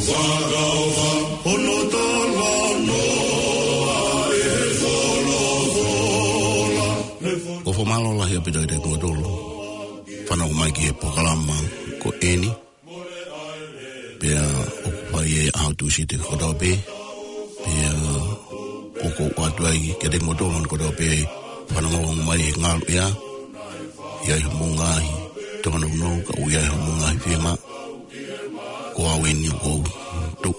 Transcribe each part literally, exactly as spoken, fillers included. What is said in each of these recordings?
Fakaova hono talanoa ʻe he folofola. ʻOku fakamālō lahi ʻaupito kiate kimoutolu fanongo mai ki he polokalama ko eni. Pea ʻoku fai ʻi he ʻaho Tūsite kotoa pē. Pea ʻoku ou ʻoatu ai kiate kimoutolu kotoa pē fanongo mai he ngaluʻea. ʻI ai hoʻomou ngaahi tōnounou, ka ʻoku ʻi ai hoʻomou ngaahi fiemaʻu, ko au eni ʻoku ou tuʻu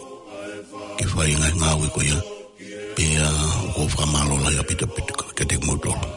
ke fai e ngaahi ngāue ko ia. Pea ʻoku ou fakamālō lahi ʻaupito ʻaupito kiate kimoutolu.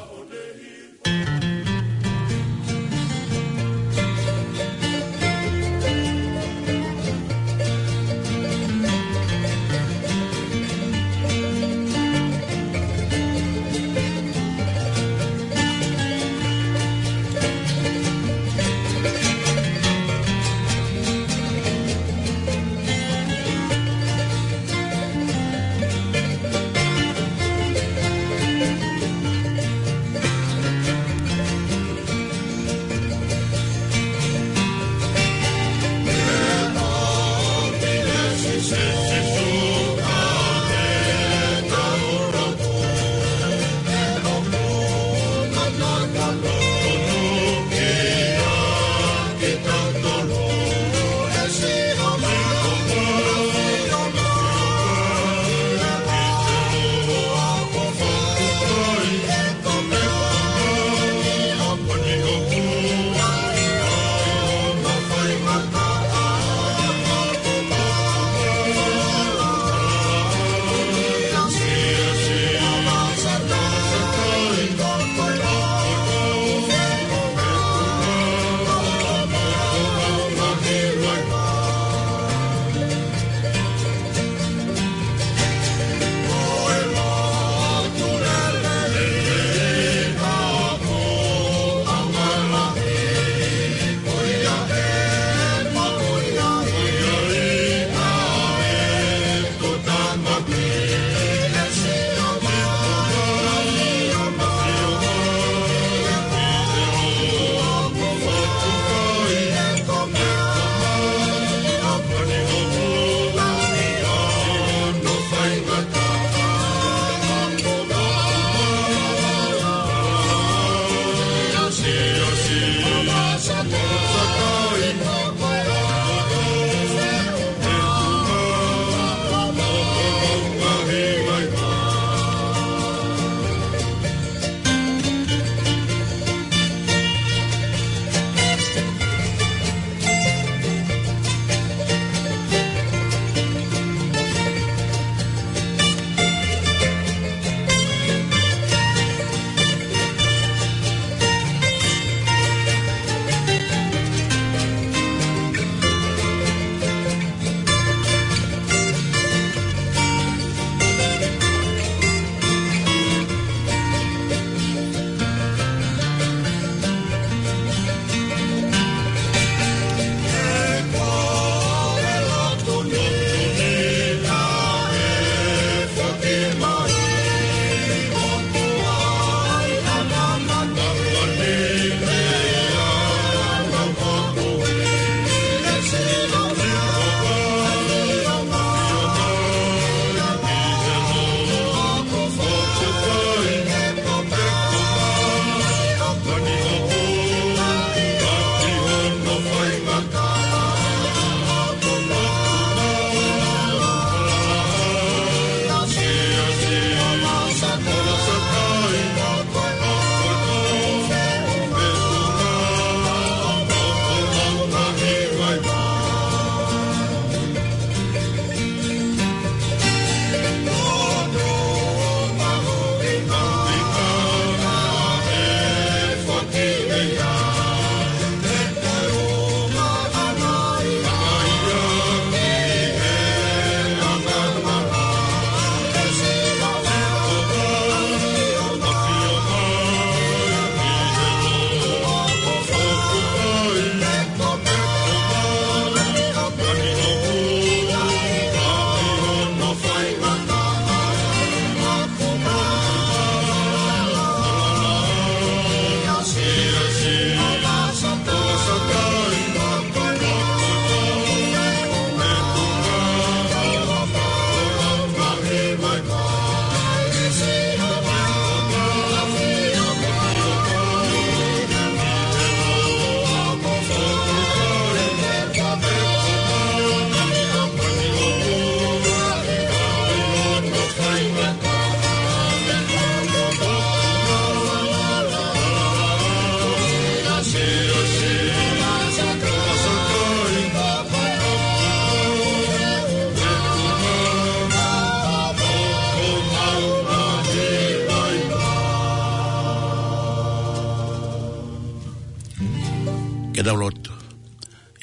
Ke tau lotu.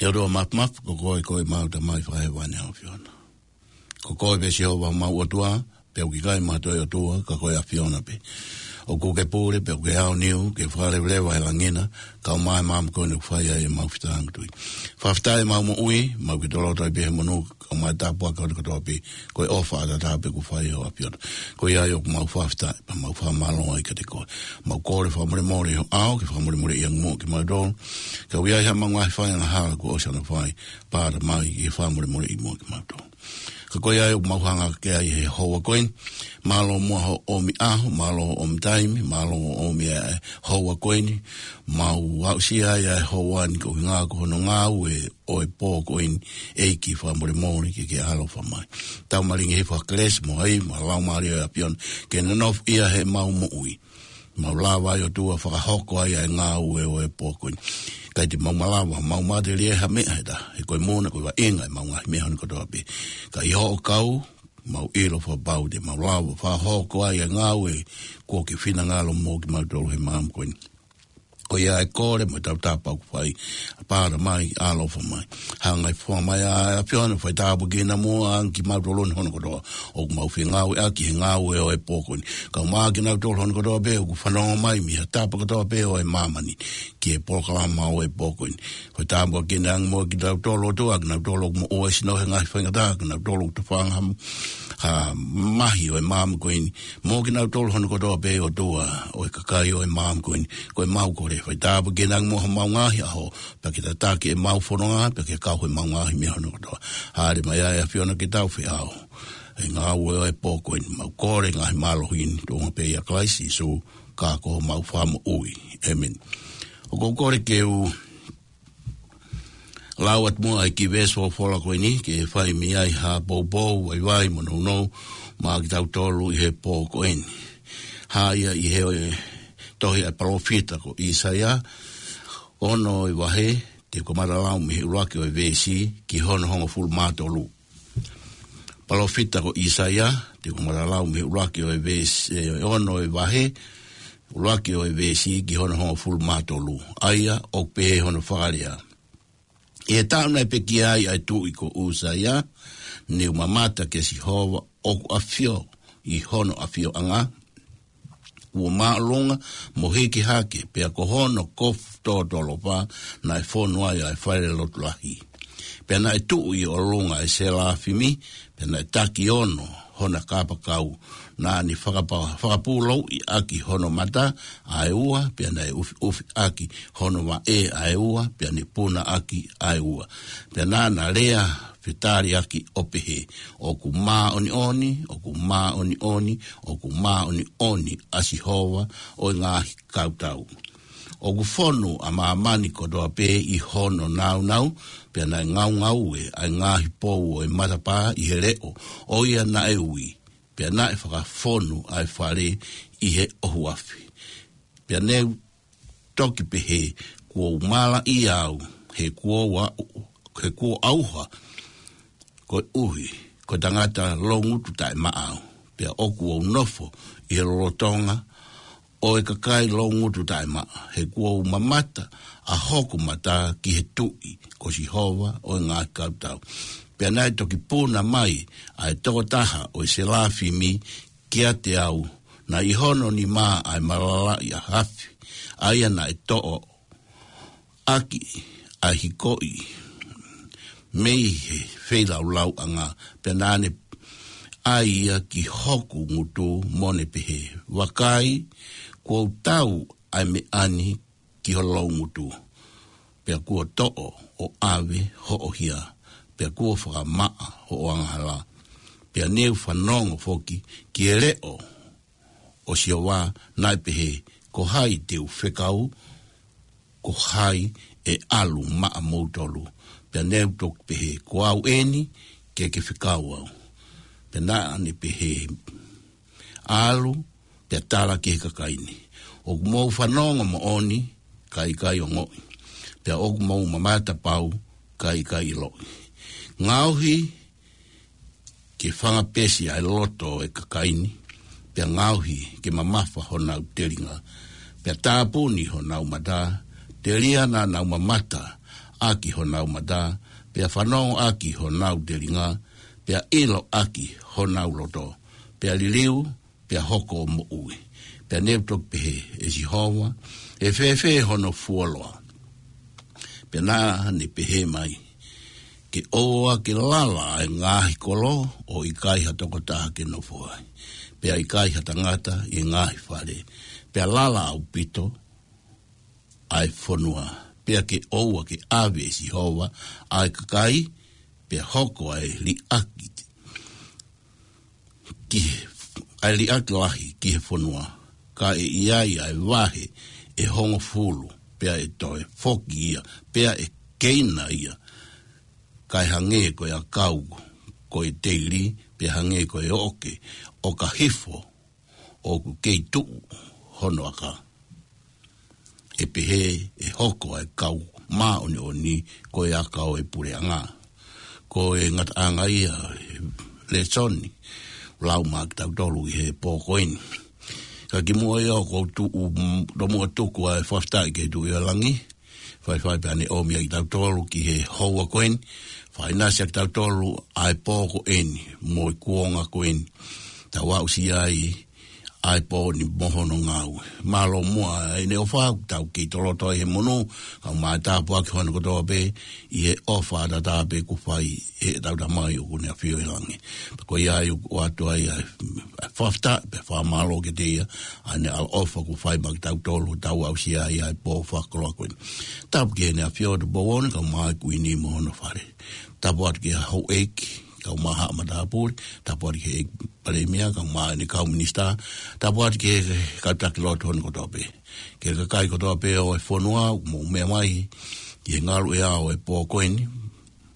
ʻE ʻOtua Māfimafi, ko koe, ko ʻemau Tamai Fakahēvani ʻa e ʻAfiona. Ko koe pē Sihova homau ʻOtua, pea ʻoku ʻikai ha toe ʻotua, ka ko e ʻAfiona pē. ʻOku ke pule, pea ʻoku ke aoniu, ke fakaleveleva he langi na, kae ʻumaʻā e maama ko eni ʻoku fai ai ʻemau fetāngutuʻi. Fakafetaʻi ʻemau moʻui, mau ke toloto ai pē he monū, kae ʻumaʻā e tāpuaki kotoa pē, ko e ʻofa ʻataʻatā pē kuo fai ʻe ho ʻAfiona. Ko ia ai ʻoku mau fakafetaʻi, pea mau fakamālō ai kiate koe. Mau kole fakamolemole ʻi ho ʻao, ke fakamolemoleʻi ange muʻa kimautolu. Ka ʻoku ʻi ai haʻamau ngaahi fai angahala kuo ʻosi ʻanai fai, pea Tamai ke fakamolemoleʻi muʻa kimautolu. Ka ko ia ai ʻoku mau hanga hake ai he houa ko eni. Mālō muʻa hoʻo ʻomi ʻaho, mālō hoʻo ʻomi taimi, mālō hoʻo ʻomi e houa ko eni. Mau aʻusia ai e houa ni koeʻuhi ko hono ngāue ʻo e pō ko eni, ʻEiki fakamolemole ke ke ʻaloʻofa mai. Tau malingi hifo ha kelesi mo e ʻai, mo e Laumālie ʻo e ʻAfiona, ke ne nofoʻia heʻemau moʻui. Mau lava ai ʻOtua fakahoko ai ʻa e ngāue ʻo e pō ko eni. ʻIkai te mau malava, mau matelie ha meʻa he taha, he ko e moʻoni ko e vaʻinga ʻemau ngaahi meʻa ni kotoa pē. Ka ʻi hoʻo kau, mau ʻilo fakapapau te mau lava fakahoko ai ʻa e ngāue kuo ke finangalo mo kimautolu he maama ko eni. Ko ia e kole mo e tautapa ʻoku fai, pea Tamai ʻaloʻofa mai. Hanga ʻe he foha mai ʻa e ʻAfiona, fai tāpuekina muʻa ange kimautolu ni hono kotoa ʻoku mau fengāueʻaki he ngāue ʻo e pō ko eni. Kae ʻumaʻā kinautolu hono kotoa pē ʻoku fanongo mai mei he tapa kotoa pē ʻo e māmani ki he polokalama ʻo e pō ko eni. Fai tāpuekina ange muʻa kinautolu ʻOtua, kinautolu ʻoku moʻua e sino he ngaahi faingataʻa, kinautolu ʻoku tofanga ha, ha mahi ʻo e maama ko eni. Mo kinautolu hono kotoa pē ʻOtua, ʻo e kakai ʻo e maama ko eni. Ko ʻemau kole, fai tāpuekina ange muʻa homau ngaahi ʻaho, pea ke tataki ʻemau fononga, pea ke kau he ʻemau ngaahi meʻa hono kotoa. Hāʻele mai ʻa e ʻAfiona ke tau feʻao he ngāue ʻo e pō ko eni. Mau kole ngaahi mālohi ni, tuʻunga pē ʻia Kalaisi Sīsū, ka ko homau Fakamoʻui. ʻĒmeni. ʻOku ou kole ke u lau atu muʻa e kiʻi veesi folofola ko eni, ke fai mei ai ha poupou, vaivai mo nounou maʻa kitautolu ʻi he pō ko eni. Hā ia ʻi he, ʻe, tohi ʻa e palōfita ko ʻĪsaia, ono ʻo e vahe, te u kamata lau mei he ʻuluaki ʻo e veesi ki hono hongofulu mā tolu. Palōfita ko ʻĪsaia, te u kamata lau mei he ʻuluaki ʻo e veesi, ʻe, ono ʻo e vahe, ʻuluaki ʻo e veesi ki hono hongofulu mā tolu. ʻA ia ʻoku pehē hono fakalea: ʻI he taʻu naʻe pekia ai ʻa e tuʻi ko ʻĪsaia, ne u mamata kia Sihova ʻoku ʻafio ʻi hono ʻafioʻanga, kuo māʻolunga mo hiki hake, pea ko hono kofu tōtōlofa naʻe fonu ai ʻa e falelotu lahi. Pea naʻe tuʻu ʻi ʻolunga ʻa e selafimi, pea naʻe taki ono hona kapakau. Naʻa ne fakapa-, fakapūlouʻi ʻaki hono mata ʻa e ua, pea naʻe ʻufiʻufi ʻaki hono vaʻe ʻa e ua, pea ne puna ʻaki ʻa e ua. Pea naʻa na lea fetaliʻaki ʻo pehē: ʻOku māʻoniʻoni, ʻoku māʻoniʻoni, ʻoku māʻoniʻoni ʻa Sihova ʻo e ngaahi kautau. ʻOku fonu ʻa māmani kotoa pē ʻi hono nāunau, pea naʻe ngaungaue ʻa e ngaahi pou ʻo e matapā ʻi he leʻo ʻo ia naʻe ui, pea naʻe fakafonu ʻa e fale ʻi he ʻohoafi. Pea ne u toki pehē: Kuo u malaʻia au, he kuo u a-, he kuo u ʻauha, koeʻuhi ko e tangata loungutu taʻemaʻa au. Pea ʻoku ou nofo ʻi he lolotonga ʻo e kakai loungutu taʻemaʻa, he kuo u mamata ʻa hoku mata ki he tuʻi, ko Sihova ʻo e ngaahi kautau. Pea naʻe toki puna mai ʻa e tokotaha ʻo e selafimi kiate au, naʻe ʻi hono nima ʻa e malalaʻi ʻa e afi, ʻa ia naʻe toʻo ʻaki ʻa e hikoʻi mei he feilaulauʻanga, pea naʻa ne ʻai ia ki hoku ngutu, mo ne pehē: Vakai, kuo u tau ʻa e meʻa ni ki ho loungutu, pea kuo toʻo ʻo ʻave hoʻo hia, pea kuo fakamaʻa hoʻo angahala. Pea ne u fanongo foki ki he leʻo ʻo Sihova naʻe pehē: Ko hai te u fekau? Ko hai ʻe ʻalu maʻamoutolu? Pea ne u toki pehē: Ko au eni, ke ke fekau au. Pea naʻa ne pehē: ʻAlu, pea tala ki he kakai ni: ʻOku mou fanongo moʻoni, kae ʻikai ongoʻi; pea ʻoku mou mamata pau, kae ʻikai ʻiloʻi. Ngaohi ke fangapesi ʻa e loto ʻo e kakai ni, pea ngaohi ke mamafa honau telinga, pea tāpuni honau mata, Telia naʻa nau mamata ʻaki honau mata, pea fanongo ʻaki honau telinga, pea ʻilo ʻaki honau loto, pea liliu, pea hoko ʻo moʻui. Pea ne u toki pehē, ʻE Sihova, ʻe fēfē hono fuoloa? Pea naʻa ne pehē mai, Ke ʻoua ke lala ʻa e ngaahi kolo, ʻo ʻikai ha tokotaha ke nofo ai, pea ʻikai ha tangata ʻi he ngaahi fale, pea lala ʻaupito ʻa e fonua. Pea ke ʻoua ke ʻave ʻe Sihova ʻa e kakai, pea hoko ʻa e liʻaki ki he, ʻa e liʻaki lahi ki he fonua, ka ʻe ʻi ai ʻa e vahe ʻe hongofulu, pea ʻe toe foki ia, pea ʻe keina ia, kae hangē ko e ʻakau ko e teili, pea hangē ko e oʻoke ʻoka hifo ʻoku kei tuʻu hono aka. ʻE pehē ʻe hoko ʻa e kau māʻoniʻoni ko e aka ʻo e puleʻanga. Ko e ngataʻanga ia ʻo e lēsoni ʻoku lau maʻa kitautolu ʻi he pō ko eni. Ka kimuʻa ia ʻoku ou tuʻu, mm, tomuʻa tuku ʻa e fakafetaʻi ki he Tuʻi ʻo Langi, faifai pea ne ʻomi ʻa kitautolu ki he houa ko eni, fakaʻinasi ʻa kitautolu ʻa e pō ko eni, mo e kuonga ko eni. Tau aʻusia ai ʻa e pō ni mo hono ngāue. Mālō muʻa ʻene ʻofa, tau kei toloto ai he monū, kae ʻumaʻā e tāpuaki hono kotoa pē, ʻi he ʻofa ʻataʻatā pē kuo fai ʻe heʻetau Tamai ʻoku ne ʻafio ʻi langi. Pea ko ia ai ʻoku ʻoatu ai ʻa e, ʻa e fakafetaʻi, pea fakamālō kiate ia, ʻa ʻene ʻaloʻofa kuo fai maʻa kitautolu, tau aʻusia ai ʻa e pō fakakoloa ko eni. Tapu ki heʻene ʻAfio Tupou Ono, kae ʻumaʻā e Kuini mo hono fale. Tapu atu ki he houʻeiki, kae ʻumaʻā haʻa matāpule, tapu atu ki he Palēmia, kae ʻumaʻā ʻene kau minisitā, tapu atu ki he kau taki lotu hono kotoa pē. Ki he kakai kotoa pē ʻo e fonua, mou meʻa mai ki he ngaluʻea ʻo e pō ko eni,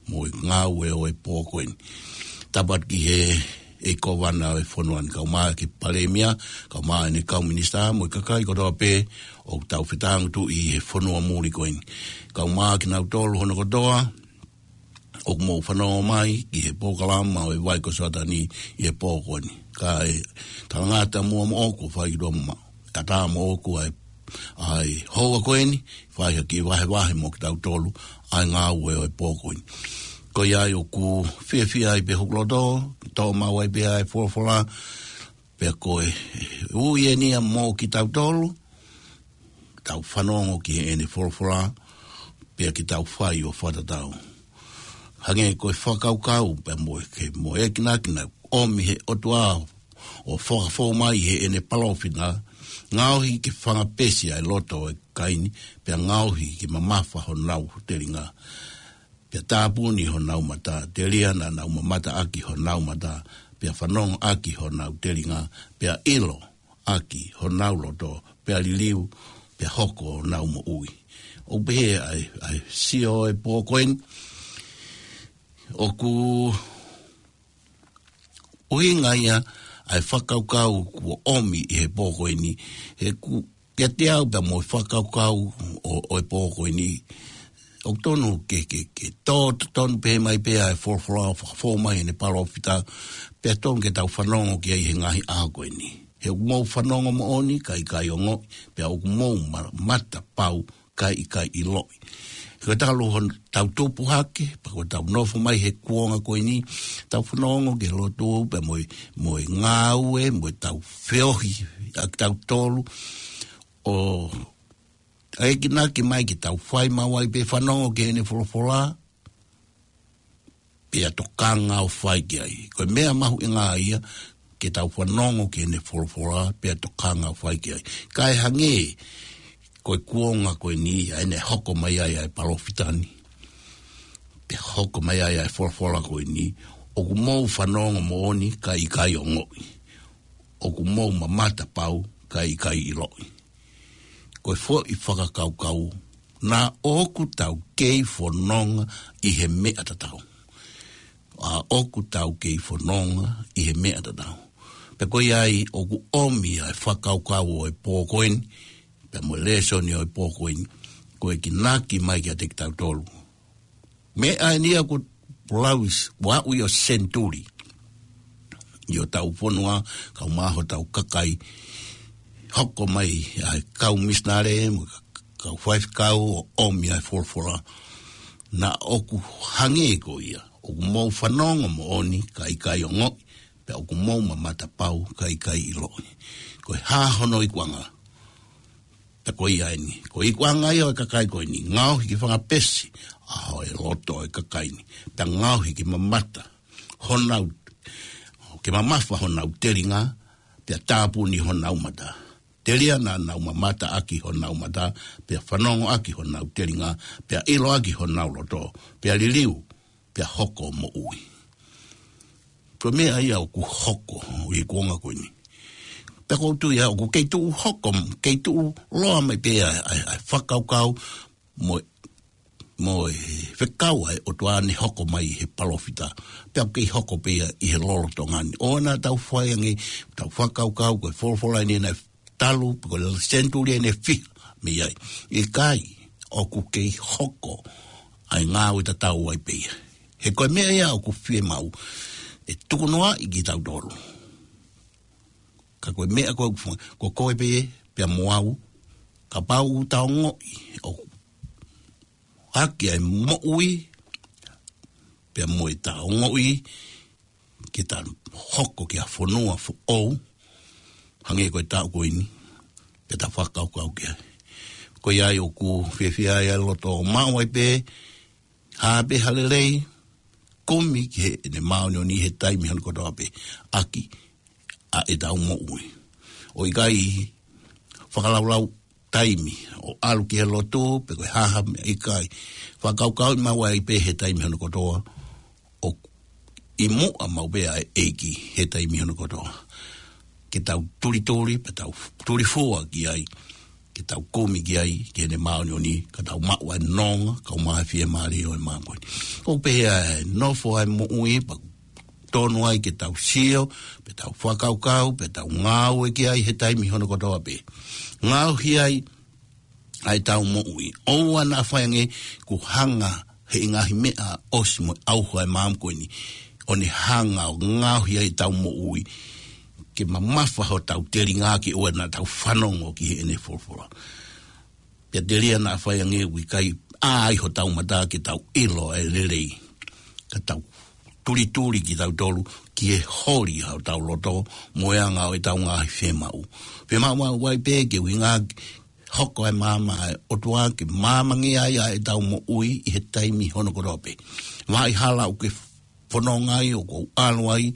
mo e ngāue ʻo e pō ko eni. Tapu atu ki he, ʻEiki Kōvana ʻo e fonua ni, kae ʻumaʻā ki he Palēmia, kae ʻumaʻā ʻene kau minisitā, mo e kakai kotoa pē ʻoku tau fetāngutuʻi ʻi he fonua muli ko eni. Kae ʻumaʻā kinautolu hono kotoa ʻoku mou fanongo mai ki he polokalama ʻo e Vai ko Soatani ʻi he pō ko eni. Kae talangata muʻa moʻoku ʻoku fai ki tuʻa mo ʻatā moʻoku ʻa e, ʻa e houa ko eni, fai ha kiʻi vahevahe mo kitautolu ʻa e ngāue ʻo e pō ko eni. Ko ia ai ʻoku fiefia ai pē hoku loto, toʻo maʻu ai pē ʻa e folofola, pea ko e ui eni ia mo kitautolu, tau fanongo ki heʻene folofola, pea ke tau fai ʻo fakatatau. Hangē ko e fakakaukau, pea mo e ke, mo e ekinaki naʻe ʻomi he ʻOtua ʻo fakafou mai heʻene palōfita, ngaohi ke fangapesi ʻa e loto ʻo e kakai ni, pea ngaohi ke mamafa honau telinga. Pea tāpuni honau mata, telia naʻa nau mamata ʻaki honau mata, pea fanongo ʻaki honau telinga, pea ʻilo ʻaki honau loto, pea liliu, pea hoko honau moʻui. ʻOku pehē ʻa e, ʻa e sio ʻo e pō ko eni, ʻoku ʻuhinga ia ʻa e fakakaukau kuo ʻomi ʻi he pō ko eni, he ʻoku kiate au pea mo e fakakaukau ʻo, ʻo e pō ko eni, ʻoku tonu ke, ke, ke tō, tonu pē mai pē ʻa e folofola ʻo fakafou mai heʻene palōfita, pea tonu ke tau fanongo ki ai he ngaahi ʻaho ko eni. He ʻoku mou fanongo moʻoni, kae ʻikai ongoʻi, pea ʻoku mou ma-, mata pau, kae ʻikai ʻiloʻi. He ko e talu hotau tupu hake, pea ko ʻetau nofo mai he kuonga ko eni, tau fanongo ki he lotu, pea mo e, mo e ngāue, mo ʻetau feohi ʻa kitautolu, ʻo ekinaki mai ke tau fai maʻu ai pē fanongo ki heʻene folofola, pea tokanga ʻo fai ki ai. Ko e meʻa mahuʻinga ia ke tau fanongo ki heʻene folofola, pea tokanga ʻo fai ki ai. Kae hangē ko e kuonga ko eni, ʻa ʻene hoko mai ai ʻa e palōfita ni, pea hoko mai ai ʻa e folofola ko eni, ʻoku mou fanongo moʻoni, kae ʻikai ongoʻi. ʻOku mou mamata pau, kae ʻikai ʻiloʻi. Ko e foʻi fakakaukau, naʻa ʻoku tau kei fononga ʻi he meʻa tatau. ʻA ʻoku tau kei fononga ʻi he meʻa tatau. Pea ko ia ai ʻoku ʻomi ʻa e fakakaukau ʻo e pō ko eni, pea mo e lēsoni ʻo e pō ko eni, ko e ekinaki mai kiate kitautolu. Meʻa eni ia ʻoku lau ʻi, ʻoku aʻu ʻi he senituli ʻi hotau fonua, kae ʻumaʻā hotau kakai, hoko mai ʻa e kau misinale, mo e kau faifekau ʻo ʻomi ʻa e folofola. Naʻa ʻoku hangē ko ia ʻoku mou fanongo moʻoni kae ʻikai ongoʻi, pea ʻoku mou mamata pau kae ʻikai ʻiloʻi. Ko e hā hono ikuʻanga? Pea ko ia eni, ko e ikuʻanga ia ʻo e kakai ko eni, ngaohi ke fanga pesi ʻa e loto ʻo e kakai ni, pea ngaohi ke mamata honau, ke mamafa honau telinga, pea tāpuni honau mata. Telia naʻa nau mamata ʻaki honau mata, pea fanongo ʻaki honau telinga, pea ʻilo ʻaki honau loto, pea liliu, pea hoko ʻo moʻui. Ko e meʻa ia ʻoku hoko ʻi he kuonga ko eni. Pea ʻoku ou tui ia ʻoku kei tuʻu hoko, kei tuʻu loa mai pē ʻa e, ʻa e, ʻa e fakakaukau mo, mo e fekau ʻa e ʻOtua ne hoko mai he palōfita. Pea ʻoku kei hoko pē ia ʻi he lolotonga ni. ʻOua naʻa tau fai ange, tau fakakaukau ko e folofola eni naʻe talu, pe ko e senituli eni ʻe fiha mei ai. ʻIkai, ʻoku kei hoko ʻa e ngāue tatau ai pē ia. He ko e meʻa ia ʻoku fiemaʻu ʻe tukunoaʻi kitautolu. Ka ko e meʻa ko ē ʻoku fua-, ko koe pē, pea mo au, kapau ʻoku tau ongoʻi ʻoku hake ʻa e moʻui, pea mo ʻeta ongoʻi ke ta hoko ki ha fonua foʻou, hangē ko e taʻu ko eni, pea ta fakakaukau ki ai. Ko ia ai ʻoku fiefia ai ʻa e loto ʻo maʻu ai pē, hā pē ha lelei, kumi ki heʻene māʻoniʻoni he taimi hono kotoa pē, ʻaki ʻa ʻetau moʻui. ʻO ʻikai fakalaulau taimi ʻo ʻalu ki he lotu, pe ko e hā ha meʻa, ʻikai. Fakakaukauʻi maʻu ai pē he taimi hono kotoa, ʻoku ʻi muʻa maʻu pē ʻa e ʻEiki he taimi hono kotoa. Ke tau tulituli, pea tau tulifua ki ai, ke tau kumi ki ai, ki heʻene māʻoniʻoni, ka tau maʻu ʻa e nonga, kae ʻumaʻā e fiemālie ʻo e māmani. ʻOku pehē ʻa e nofo ʻa e moʻui, pea tonu ai ke tau sio, pea tau fakakaukau, pea tau ngāue ki ai he taimi hono kotoa pē. Ngaohi ai ʻa ʻetau moʻui. ʻOua naʻa fai ange kuo hanga he ngaahi meʻa ʻosi mo e ʻauha ʻa e māmani ko eni, ʻo ne hanga ʻo ngaohi ai ʻetau moʻui ke mamafa hotau telinga ke ʻoua naʻa tau fanongo ki heʻene folofola. Pea telia naʻa fai ange ʻoku ʻikai ʻā ai hotau mata ke tau ʻilo ʻa e lelei, ka tau tulituli kitautolu ki he holi ʻa hotau loto mo e anga ʻo ʻetau ngaahi fiemaʻu. Fiemaʻu maʻu ai pē ke ʻuhinga hoko ʻa e maama ʻa e ʻOtua ke maamangia ai ʻa ʻetau moʻui ʻi he taimi hono kotoa pē. Vaʻa hala ʻoku ke fononga ai, ʻoku ou ʻalu ai,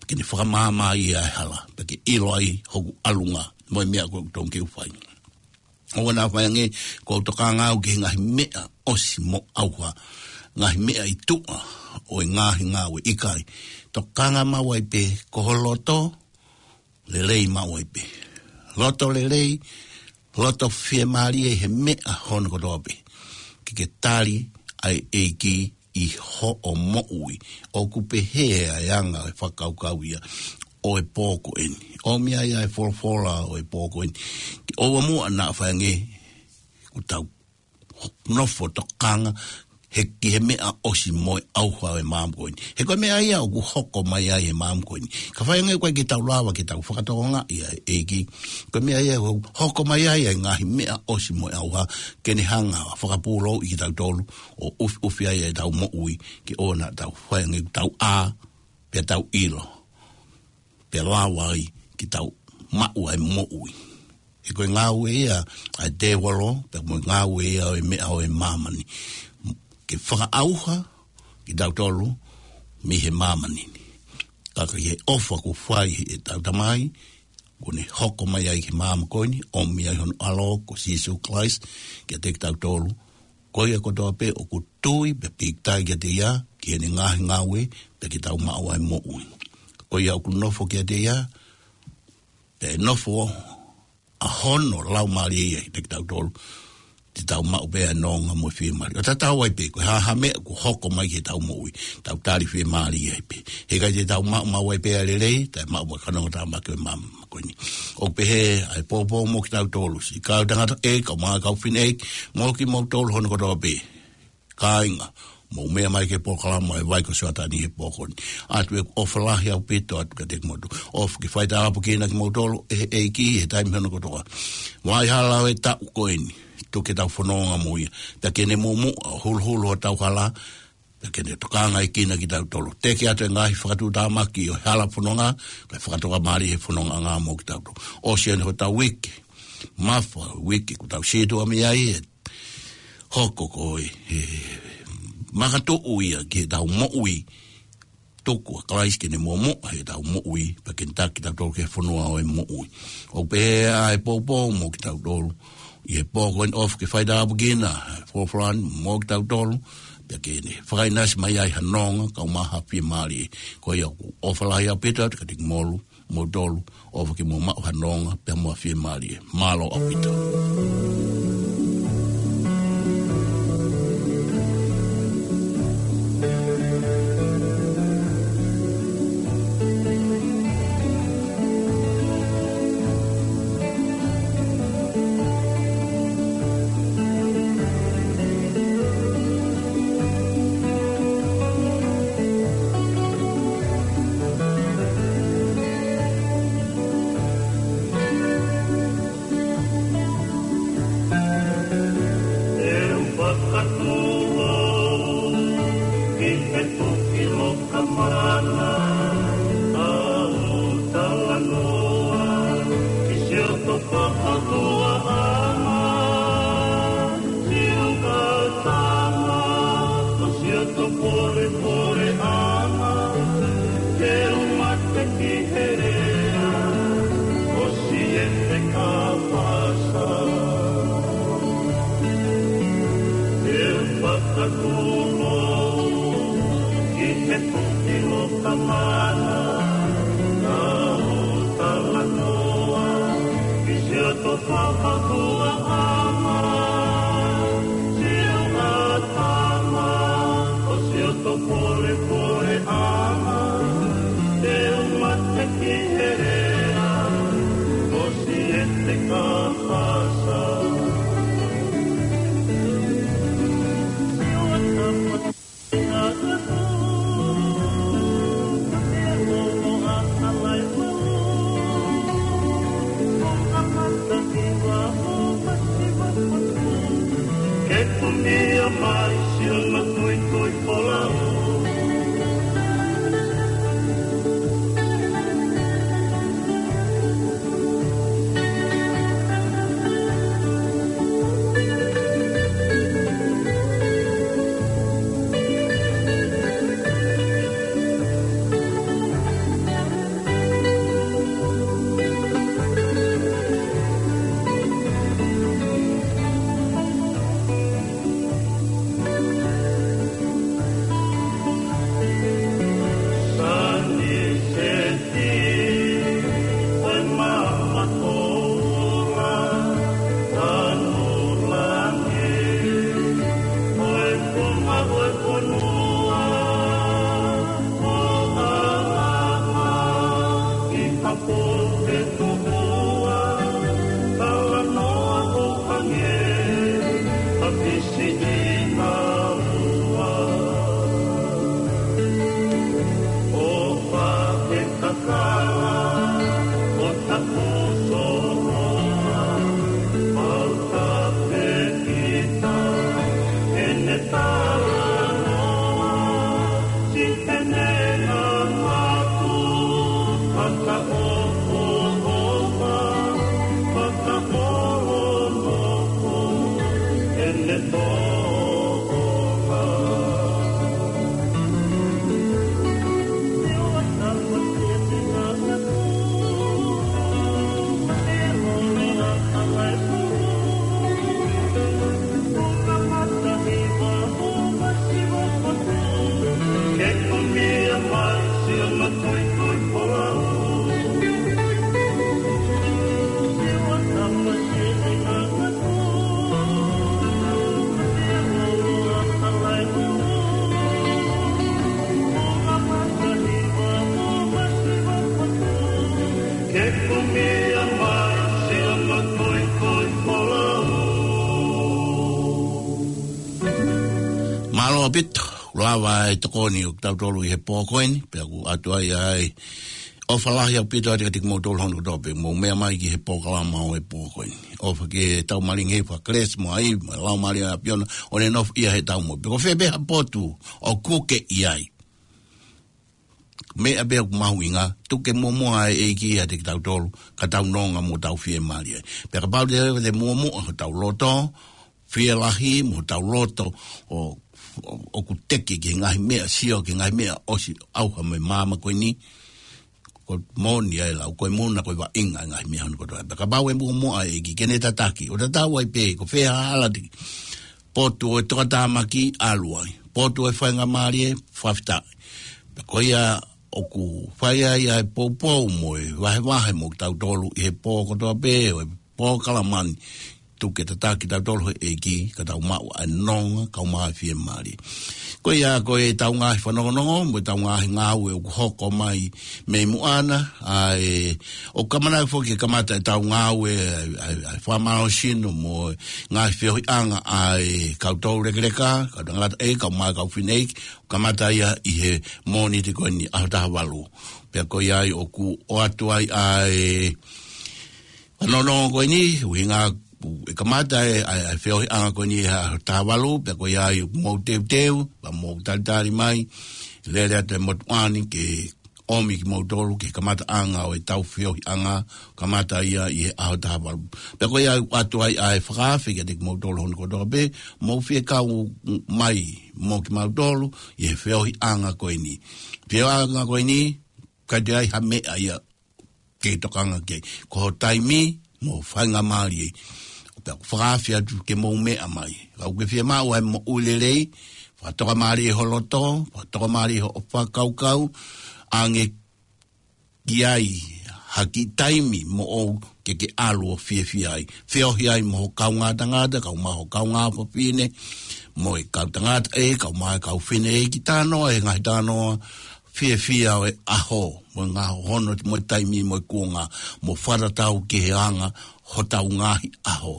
ke ne fakamaama ai ʻa e hala, pea ke ʻilo ai hoku ʻalunga mo e meʻa ko ē ʻoku totonu ke u fai. ʻOua naʻa fai ange kuo u tokanga au ki he ngaahi meʻa ʻosi mo ʻauha, ngaahi meʻa ʻi tuʻa ʻo e ngaahi ngāue, ʻikai. Tokanga maʻu ai pē ko ho loto, lelei maʻu ai pē. Loto lelei, loto fiemālie he meʻa hono kotoa pē. Ke ke tali ʻa e ʻEiki ʻi hoʻo moʻui. ʻOku pehē ʻa e anga ʻo e fakakaukau ia ʻo e pō ko eni. ʻOmi ai ʻa e folofola ʻo e pō ko eni. Ke ʻoua muʻa naʻa fai ange kuo tau nofo tokanga he ki he meʻa ʻosi mo e ʻauha ʻo e māmani ko eni. He ko e meʻa ia ʻoku hoko mai ai he māmani ko eni. Ka fai ange ʻoku ʻikai ke tau lava ke tau fakatokangaʻi ʻa e ʻEiki. Ko e meʻa ia ʻoku hoko mai ai ʻa e ngaahi meʻa ʻosi mo e ʻauha ke ne hanga ʻo fakapūlouʻi kitautolu ʻo ʻufiʻufi ai ʻetau moʻui ke ʻoua naʻa tau fai ange tau ʻā, pea tau ʻilo, pea lava ai ke tau maʻu ʻa e moʻui. He ko e ngāue ia ʻa e tēvolo, pea mo e ngāue ia ʻo e meʻa ʻo e māmani. Ke fakaʻauha kitautolu mei he māmani ni. Ka ko e ʻofa kuo fai ʻetau Tamai, kuo ne hoko mai ai ki māmani ko eni, ʻomi ai hono ʻAlo ko Sīsū Kalaisi kiate kitautolu. Ko ia kotoa pē ʻoku tui pea pīkitai kiate ia, ki heʻene ngaahi ngāue, pea ke tau maʻu ʻa e moʻui. Ko ia ʻoku nofo kiate ia, pea ʻe nofo ʻa hono Laumālie ia kiate kitautolu, te tau maʻu pē ʻa e nonga mo e fiemālie. ʻO tatau ai pē, ko e hā ha meʻa kuo hoko mai ki heʻetau moʻui, tau tali fiemālie ai pē. He ʻikai te tau maʻu, maʻu ai pē ʻa e lelei, taʻe maʻu mo e kanongotāmaki ʻo e māmani ko eni. ʻOku pehē ʻa e pōpō mo kitautolu, siʻi kau tangata ʻeiki, kau mā kau fineʻeiki, mo kimoutolu hono kotoa pē. Kāinga, mou meʻa mai ki he polokalama ʻa e Vai ko Sioatani he pō ko eni. ʻOatu ʻeku ʻofa lahi ʻaupito atu kiate kimoutolu. ʻOfa ke fai tāpuekina kimoutolu ʻe he ʻEiki he taimi hono kotoa. Vaʻa hala ʻo e taʻu ko eni. tuku ke tau fononga mo ia. Pea ke ne muʻomuʻa ʻo huluhulu hotau hala, pea ke ne tokangaekina kitautolu. Teke atu e ngaahi fakatuʻutāmaki ʻo e hala fononga, kae fakatokamālie he fonongaʻanga mo kitautolu. ʻOsi eni hotau uike, mafa uike kuo tau sītuʻa mei ai, ʻe hoko ko e, e makatuʻu ia ki heʻetau moʻui, tuku ʻa Kalaisi ke ne muʻomuʻa heʻetau moʻui, pea ke ne taki kitautolu ki he fonua ʻo e moʻui. ʻOku pehē ʻa e poupou mo kitautolu ʻi he pō ko eni, ʻofa ke faitāpuekina e folofola ni mo kitautolu, pea ke ne fakaʻinasi mai ai ha nonga, kae ʻumaʻā ha fiemālie. Ko ia ʻoku ou ʻofa lahi ʻaupito atu kiate kimoutolu, moutolu, ʻofa ke mou maʻu ha nonga, pea mo ha fiemālie. Mālō ʻaupito. ʻE u fakatūlou ki he toki loka mana, ʻa ʻeku talanoa ki siʻoto fakatuʻaʻanga, siʻoto tama, ko siʻoto polepoleʻanga, te u mate ki he lea ʻo Siete Kapasa. ʻE u fakatūlou ki he toki loka mana, ʻa ʻeku talanoa ki siʻoto fakatuʻaʻanga, siʻoto tama, ko siʻoto polepoleʻanga, te u mate ki he lea ʻo Siete Kapasa. Ke kumia mai siʻono tuitui folau. Mālō ʻaupito, lava e tokoni ʻo kitautolu ʻi he pō ko eni, pea ʻoku ʻoatu ai ʻa e ʻOfa lahi ʻaupito atu kiate kimoutolu hono kotoa pē, mou meʻa mai ki he polokalama ʻo e pō ko eni. ʻOfa ke tau malingi he fakakelesi mo ai, mo e Laumālie ʻa e ʻAfiona, ʻo ne nofoʻia heʻetau moʻui. Pe ko fē pē ha potu ʻoku ke ʻi ai. Meʻa pē ʻoku mahuʻinga, tuku ke muʻomuʻa ʻa e ʻEiki ʻiate kitautolu, ka tau nonga mo tau fiemālie ai. Pea kapau te, te muʻomuʻa hotau loto, fielahi mo hotau loto ʻo, ʻo, ʻoku teke ki he ngaahi meʻa, sio ki he ngaahi meʻa ʻosi ʻauha mei māmani ko eni, ko e moʻoni ʻa e lau, ko e muna, ko e vaʻinga ʻa e ngaahi meʻa hono kotoa. Pea kapau ʻe muʻomuʻa ʻa e ʻEiki ke ne tataki, ʻo tatau ai pē ko fē ha hala te, potu ʻo e tokatāmaki ʻalu ai, potu ʻo e faingamālie fakafetaʻi. Pea ko ia ʻoku fai ai ʻa e poupou mo e vahevahe mo kitautolu ʻi he pō kotoa pē ʻo e polokalama ni, tuku ke tataki kitautolu ʻe he ʻEiki, ka tau maʻu ʻa e nonga, kae maʻu ʻa e fiemālie. Ko ia ko ʻetau ngaahi fanongonongo, mo ʻetau ngaahi ngāue ʻoku hoko mai mei muʻa na, ʻa e, ʻoku kamata foki ke kamata ʻetau ngāue, ʻa e, ʻa e, ʻa e fakamālohisino mo e ngaahi feohiʻanga ʻa e kau toulekeleka, kau tangata ʻe, kae maʻu ʻa e kau fineʻeiki, kamata ia ʻi he Mōnite ko eni ʻaho taha valu. Pea ko ia ai ʻoku ʻoatu ai ʻa e fanongonongo ko eni, ʻuhinga ʻe kamata ʻa e, ʻa e, ʻa e feohiʻanga ko eni he ʻaho taha valu, pea ko ia ai ʻoku mou teuteu, pea mou talitali mai, lele atu e motuʻa ni ke ʻomi kimoutolu ki he kamataʻanga ʻo ʻetau feohiʻanga, kamata ia ʻi he ʻaho taha valu. Pea ko ia ai ʻoatu ai ʻa e fakaafe kiate kimoutolu hono kotoa pē, mou fie kau mai mo kimautolu ʻi he feohiʻanga ko eni. Feohiʻanga ko eni, ʻikai toe ʻi ai ha meʻa ia ke tokanga ki ai. Ko ho taimi mo e faingamālie. Pea ʻoku ou fakaafe atu ke mou meʻa mai. Ka ʻoku ke fiemaʻu ʻa e moʻui lelei, fakatokamālie ho loto, fakatokamālie hoʻo fakakaukau, ʻange ki ai ha kiʻi taimi moʻou ke ke ʻalu ʻo fiefia ai. Feohi ai mo ho kaungā tangata, kae maʻu ho kaungā fafine, mo e kau tangata ʻe, kae maʻu e kau fineʻeiki, talanoa he ngaahi talanoa fiefia ʻo e ʻaho, mo e ngaahi hono, mo e taimi, mo e kuonga, mo fakatatau ki he anga hotau ngaahi ʻaho.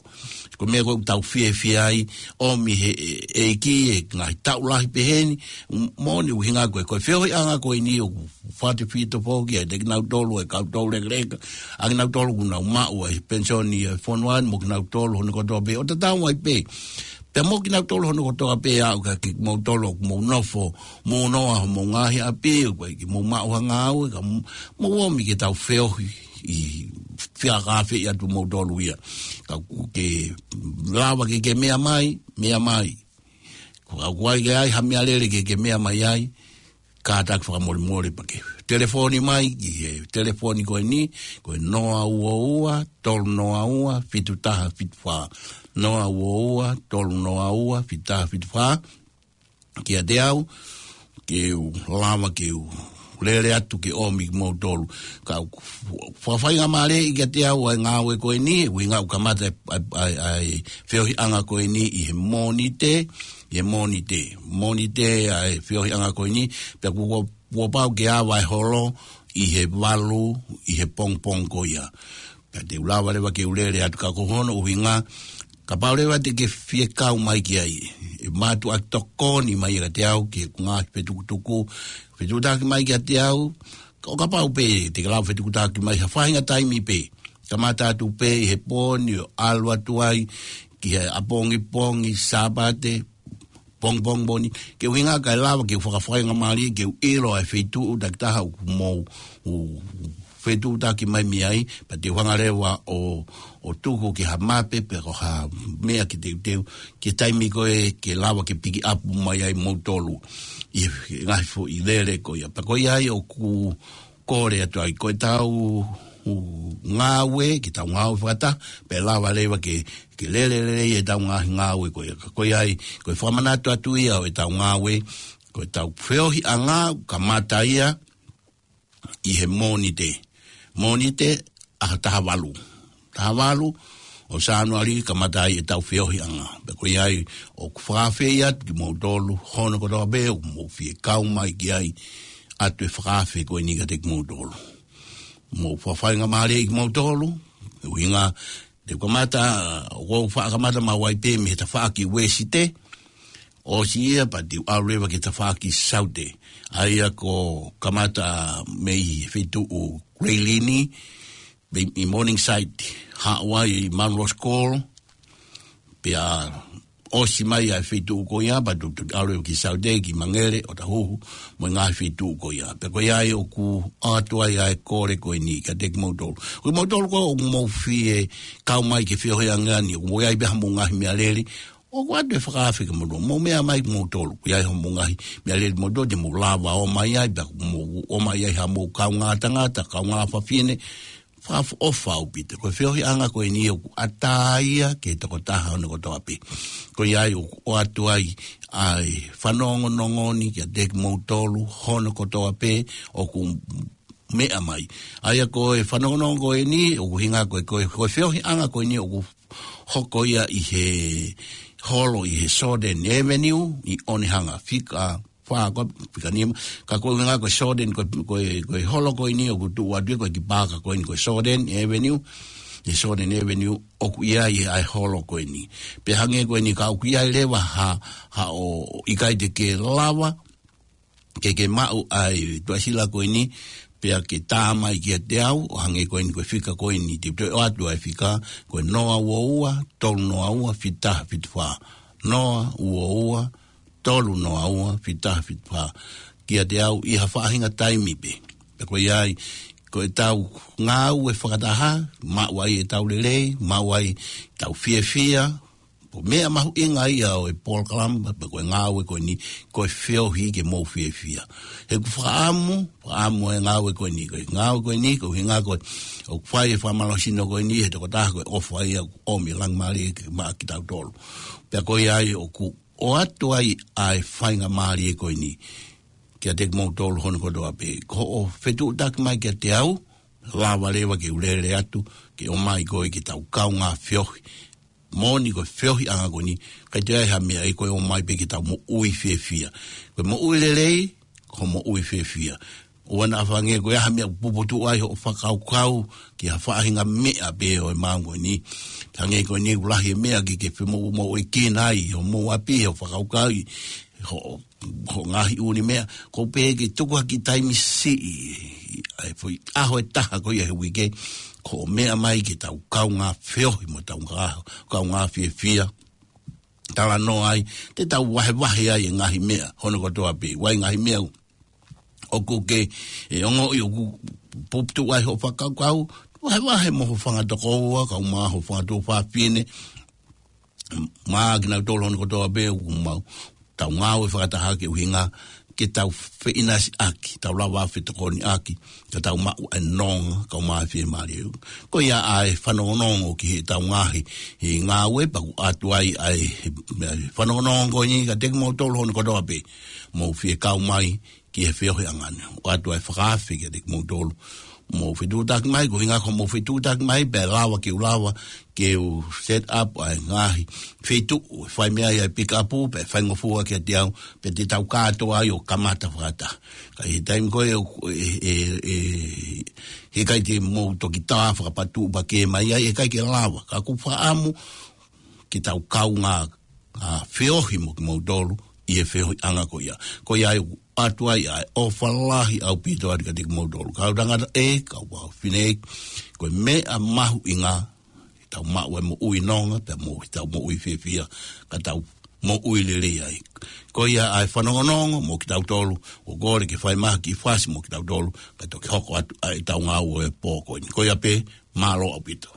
Ko e meʻa ko ē ʻoku tau fiefia ai, ʻomi ʻe he ʻEiki e ngaahi taʻu lahi pehē ni, moʻoni ʻuhinga ko e, ko e feohiʻanga ko eni ʻoku fakatefito foki ʻiate kinautolu e kau toulekeleka, ʻa kinautolu ʻoku nau maʻu ʻa e penisoni ʻa e fonua ni mo kinautolu hono kotoa pē, ʻo tatau ai pē. Pea mo kinautolu hono kotoa pē ʻa ē ʻoku ʻikai ke kimoutolu ʻoku mou nofo, mou noa homou ngaahi ʻapi, ʻoku ʻikai ke mou maʻu ha ngāue, ka mou, mou ʻomi ke tau feohi ʻi he fakaafe atu moutolu ia. Ka ʻoku ke lava ke ke meʻa mai, meʻa mai. Ka ʻoku ʻikai ke ʻi ai ha meʻalele ke ke meʻa mai ai, kātaki fakamolemole pea ke telefoni mai ki he telefoni ko eni, ko e noa ua ua, tolu noa ua, fitu taha fitu fā. Noa ua ua, tolu noa ua, fitu taha fitu fā. Kiate au, ke u lava ke u lele atu ke ʻomi kimoutolu. Ka ʻoku fakafaingamālie kiate au ʻa e ngāue ko eni, ʻuhinga ʻoku kamata e, ʻa e, ʻa e, ʻa e feohiʻanga ko eni ʻi he Mōnite, ʻi he Mōnite, Mōnite ʻa e feohiʻanga ko eni, pea kuo, kuo pau ke ava e holo ʻi he valu ʻi he pongipongi ko ia. Ka te u lava leva ke u lele atu ka ko hono ʻuhinga, kapau leva te ke fie kau mai ki ai, ʻe mātuʻaki tokoni mai kiate au ki he ngaahi fetukutuku, fetukutuku mai kiate au, ʻo kapau pē te ke lava fetukutuku mai ha faʻahinga taimi pē, kamata atu pē ʻi he pō ni ʻo ʻalu atu ai ki he ʻapongipongi Sāpate, pongipongi moʻoni, ke ʻuhinga kae lava ke u fakafaingamālie ke u ʻilo ʻa e feituʻu takitaha ʻoku mou, ʻo fetuʻutaki mai mei ai, pea te u hanga leva ʻo, ʻo tuku ki ha mape, pe ko ha meʻa ke teuteu, ki he taimi ko ē ke lava ke pikiʻapu mai ai moutolu ʻi he ngaahi foʻi lele ko ia. Pea ko ia ai ʻoku kole atu ai, ko ʻetau ngāue, ke tau ngāue fakataha, pea lava leva ke, ke lele lelei ʻetau ngaahi ngāue ko ia. Ka ko ia ai, ko e fakamanatu atu ia ʻo ʻetau ngāue, ko ʻetau feohiʻanga, kamata ia ʻi he Mōnite. Mōnite, ʻaho taha valu. Taha valu ʻo Sānuali kamata ai ʻetau feohiʻanga. Pea ko ia ai, ʻoku ou fakaafe atu kimoutolu hono kotoa pē ʻoku mou fie kau mai ki ai, ʻoatu e fakaafe ko eni kiate kimoutolu. Mou fakafaingamālie kimoutolu, ʻuhinga te u kamata, ʻoku ou faʻa kamata maʻu ai pē mei he tafaʻaki Uēsite, ʻOsi ia pea te u ʻalu leva ki he tafaʻaki Saute. ʻA ia ko e kamata mei he feituʻu Grayling, mei, ʻi Morningside, haʻu ai ʻi Munro's Call, pea ʻosi mai ʻa e feituʻu ko ia, pea te u, te u ʻalu leva ki Saute, ki Mangere, ʻOtahuhu, mo e ngaahi feituʻu ko ia. Pea ko ia ai ʻoku ʻoatu ai ʻa e kole ko eni kiate kimoutolu. Ko kimoutolu ko ē ʻoku mou fie kau mai ki he feohiʻanga ni, ʻoku mou ʻi ai pē haʻamou ngaahi meʻalele, ʻoku ʻoatu e fakaafe kiate kimoutolu. Mou meʻa mai kimoutolu. ʻOku ʻi ai haʻamou ngaahi meʻalele kimoutolu, te mou lava ʻo ʻomai ai, pea mou ʻomai ai haʻamou kaungā tangata, kaungā fafine, fakaʻofoʻofa ʻaupito. Ko e feohiʻanga ko eni ʻoku ʻatā ia ki he tokotaha hono kotoa pē. Ko ia ai ʻoku ʻoatu ai ʻa e fanongonongo ni kiate kimoutolu hono kotoa pē ʻoku meʻa mai. ʻA ia ko e fanongonongo ko eni, ʻoku ʻuhinga ko e, ko e, ko e feohiʻanga ko eni ʻoku hoko ia ʻi he holo ʻi he Shorten Avenue ʻi Onehunga, fika fā ko ē, fika nima. Ka ko e ʻuhinga ko e Shorten, ko e, ko e, ko e holo ko eni ʻoku tuʻu atu ia ko e kiʻi paaka ko eni ko e Shorten Avenue, ʻi he Shorten Avenue ʻoku ʻi ai ʻa e holo ko eni. Pea hangē ko eni ka ʻoku ʻi ai leva ha, haʻo ʻikai te ke lava ke ke maʻu ʻa e tuʻasila ko eni, pea ke tā mai kiate au, ʻo hangē ko eni ko e fika ko eni, te u toe ʻoatu ʻa e fika, ko e noa ua ua, tolu noa ua, fitu taha fitu fā. Noa ua ua, tolu noa ua, fitu taha fitu fā. Kiate au ʻi ha faʻahinga taimi pē. Pea ko ia ai, ko ʻetau ngāue fakataha, maʻu ai ʻetau lelei, maʻu ai ʻetau fiefia, ko e meʻa mahuʻinga ia ʻo e polokalama, pe ko e ngāue ko eni, ko e feohi ke mou fiefia. He ʻoku fakaʻamu, fakaʻamu e ngāue ko eni, ko e ngāue ko eni, ko e ʻuhinga ko ē, ʻoku fai e fakamālohisino ko eni, he tokotaha ko e ʻofa ia, ʻomi e langilangi ke maʻa kitautolu. Pea ko ia ai ʻoku ʻoatu ai ʻa e faingamālie ko eni, kiate kimoutolu hono kotoa pē. Ko hoʻo fetuʻutaki mai kiate au, lava leva ke u lele atu, ke ʻomai koe ke tau kaungā feohi. Moʻoni ko e feohiʻanga ko eni, ʻikai toe ʻi ai ha meʻa ʻe ko e ʻomai pē ke tau moʻui fiefia. Ko e moʻui lelei, ko e moʻui fiefia. ʻOua naʻa hangē ko e hā e meʻa ʻoku puputuʻu ai hoʻo fakakaukau ki ha faʻahinga meʻa pē ʻo e māmani ko eni. Hangē ko eni ʻoku lahi e meʻa ke ke femoʻumoʻuekina ai hoʻomou ʻapi, hoʻo fakakaukau, hoʻo, hoʻo ngaahi ʻū meʻa. Ko e pehē ke tuku ha kiʻi taimi siʻi, ʻa e foʻi ʻaho ʻe taha ko ia he uike, ko e meʻa mai ke tau kaungā feohi mo tau ngā, kaungā fiefia. Talanoa ai, te tau vahevahe ai e ngaahi meʻa hono kotoa pē. ʻOku ʻi ai e ngaahi meʻa ʻoku ke, ʻe, ongoʻi ʻoku puputuʻu ai hoʻo fakakaukau, vahevahe mo ho fanga tokoua, kae ʻumaʻā ho fanga tuofāfine, mo kinautolu hono kotoa pē ʻoku mau, tau ngāue fakataha ke ʻuhinga, ke tau feʻinasiʻaki, tau lava fetokoniʻaki, ka tau maʻu e nonga, kae ʻumaʻā e fiemālie. Ko ia ʻa e fanongonongo ki heʻetau ngaahi, he ngāue pea ʻoku ʻoatu ai ʻa e, he, he fanongonongo ko eni kiate kimoutolu hono kotoa pē. Mou fie kau mai, ki he feohiʻanga ni. ʻOatu ʻa e fakaafe kiate kimoutolu. Mou fetuʻutaki mai, ko e ʻuhinga ko hoʻomou fetuʻutaki mai, pea lava ke u lava, ke u set up ʻa e ngaahi feituʻu, ʻe fai mei ai ʻa e pick up, pea faingofua kiate au, pea te tau kātoa ai ʻo kamata fakataha. Ka ʻi he taimi ko ē, ʻe, ʻe, ʻe, heʻikai te mou toki tā fakapatuʻu pē ke mai ai, heʻikai ke lava. Ka ʻoku ou fakaʻamu, ke tau kaungā, ʻa, feohi mo kimoutolu, ʻi he feohiʻanga ko ia. Ko ia ai ʻoku ʻoatu ai ʻa e ʻofa lahi ʻaupito atu kiate kimoutolu. Kau tangata ē, kau fafine ē, ko e meʻa mahuʻinga, ke tau maʻu e moʻui nonga, pea mo, ke tau moʻui fiefia, ka tau moʻui lelei ai. Ko ia ʻa e fanongonongo mo kitautolu, ʻoku kole ke fai mai ha kiʻi fasi mo kitautolu, kae toki hoko atu ʻa ʻetau ngāue ʻo e pō ko eni. Ko ia pē, mālō ʻaupito.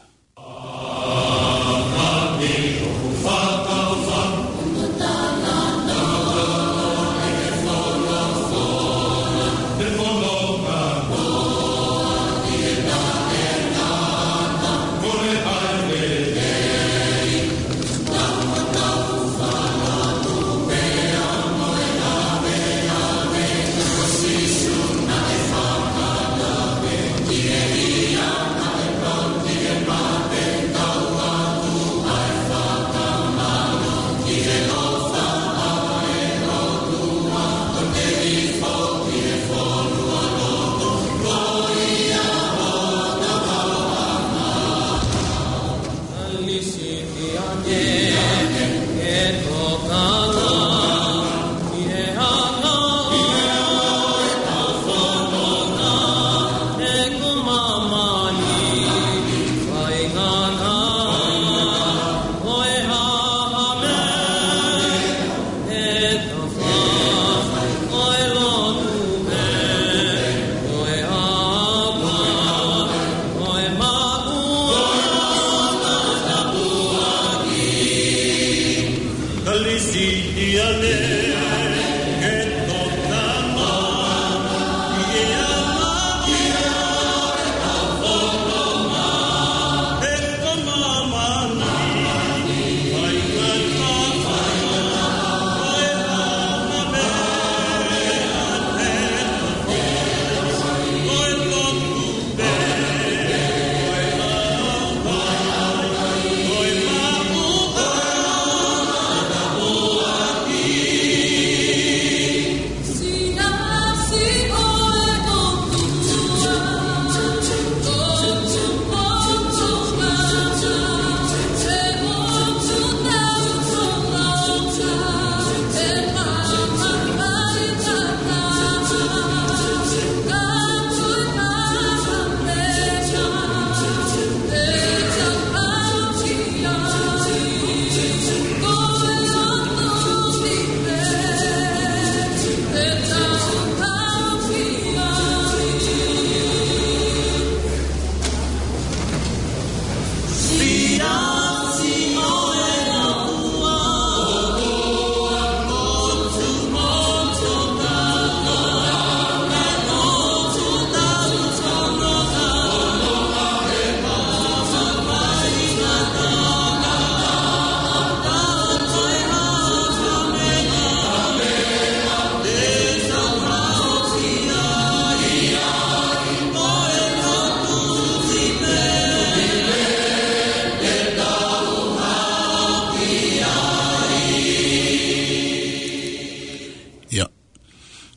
Ia.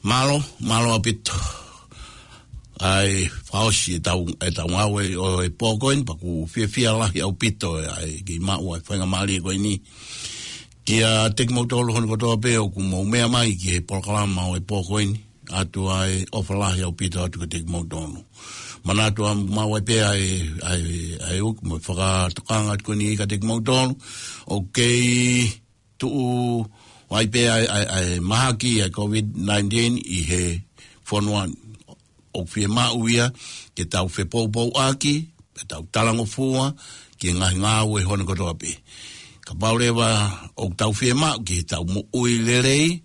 Mālō, mālō ʻaupito. ʻAi, fakaʻosi ʻetau, ʻetau ngāue ʻo e pō ko eni, pea ʻoku fiefia lahi ʻaupito ʻa e kiʻi maʻu ʻa e faingamālie ko eni. Kiate kimoutolu hono kotoa pē ʻoku mou meʻa mai ki he polokalama ʻo e pō ko eni. ʻOatu ʻa e ʻofa lahi ʻaupito atu kiate kimoutolu. Manatuʻi ʻoku maʻu ai pē ʻa e, ʻa e, ʻa e ʻuki mo e fakatokanga atu ko eni kiate kimoutolu. ʻOku kei tuʻu ai pē ʻa e, ʻa e, ʻa e mahaki ʻa e COVID nineteen ʻi he fonua ni. ʻOku fiemaʻu ia ke tau fepoupouaki, ke tau talangofua ki he ngaahi ngāue hono kotoa pē. Kapau leva ʻoku tau fiemaʻu ke tau moʻui lelei,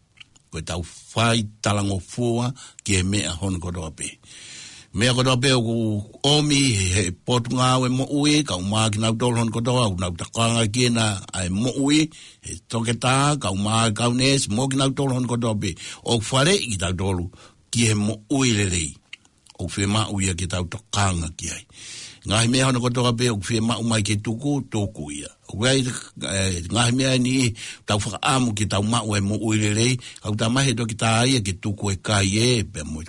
ko ʻetau fai talangofua ki he meʻa hono kotoa pē. Meʻa kotoa pē ʻoku ʻomi he, he potungāue moʻui, kae ʻumaʻā kinautolu hono kotoa ʻoku nau tokanga ki heʻenau moʻui, he toketā, kae ʻumaʻā e kau neesi, mo kinautolu hono kotoa pē. ʻOku faleʻi kitautolu ki he moʻui lelei. ʻOku fiemaʻu ia ke tau tokanga ki ai. Ngaahi meʻa hono kotoa pē ʻoku fiemaʻu mai ke tuku, tuku ia. ʻOku ʻi ai, ʻe, ngaahi meʻa ʻe niʻihi tau fakaʻamu ke tau maʻu e moʻui lelei, ka ʻoku talamai he toketā ia ke tuku e kai ē, pea mo e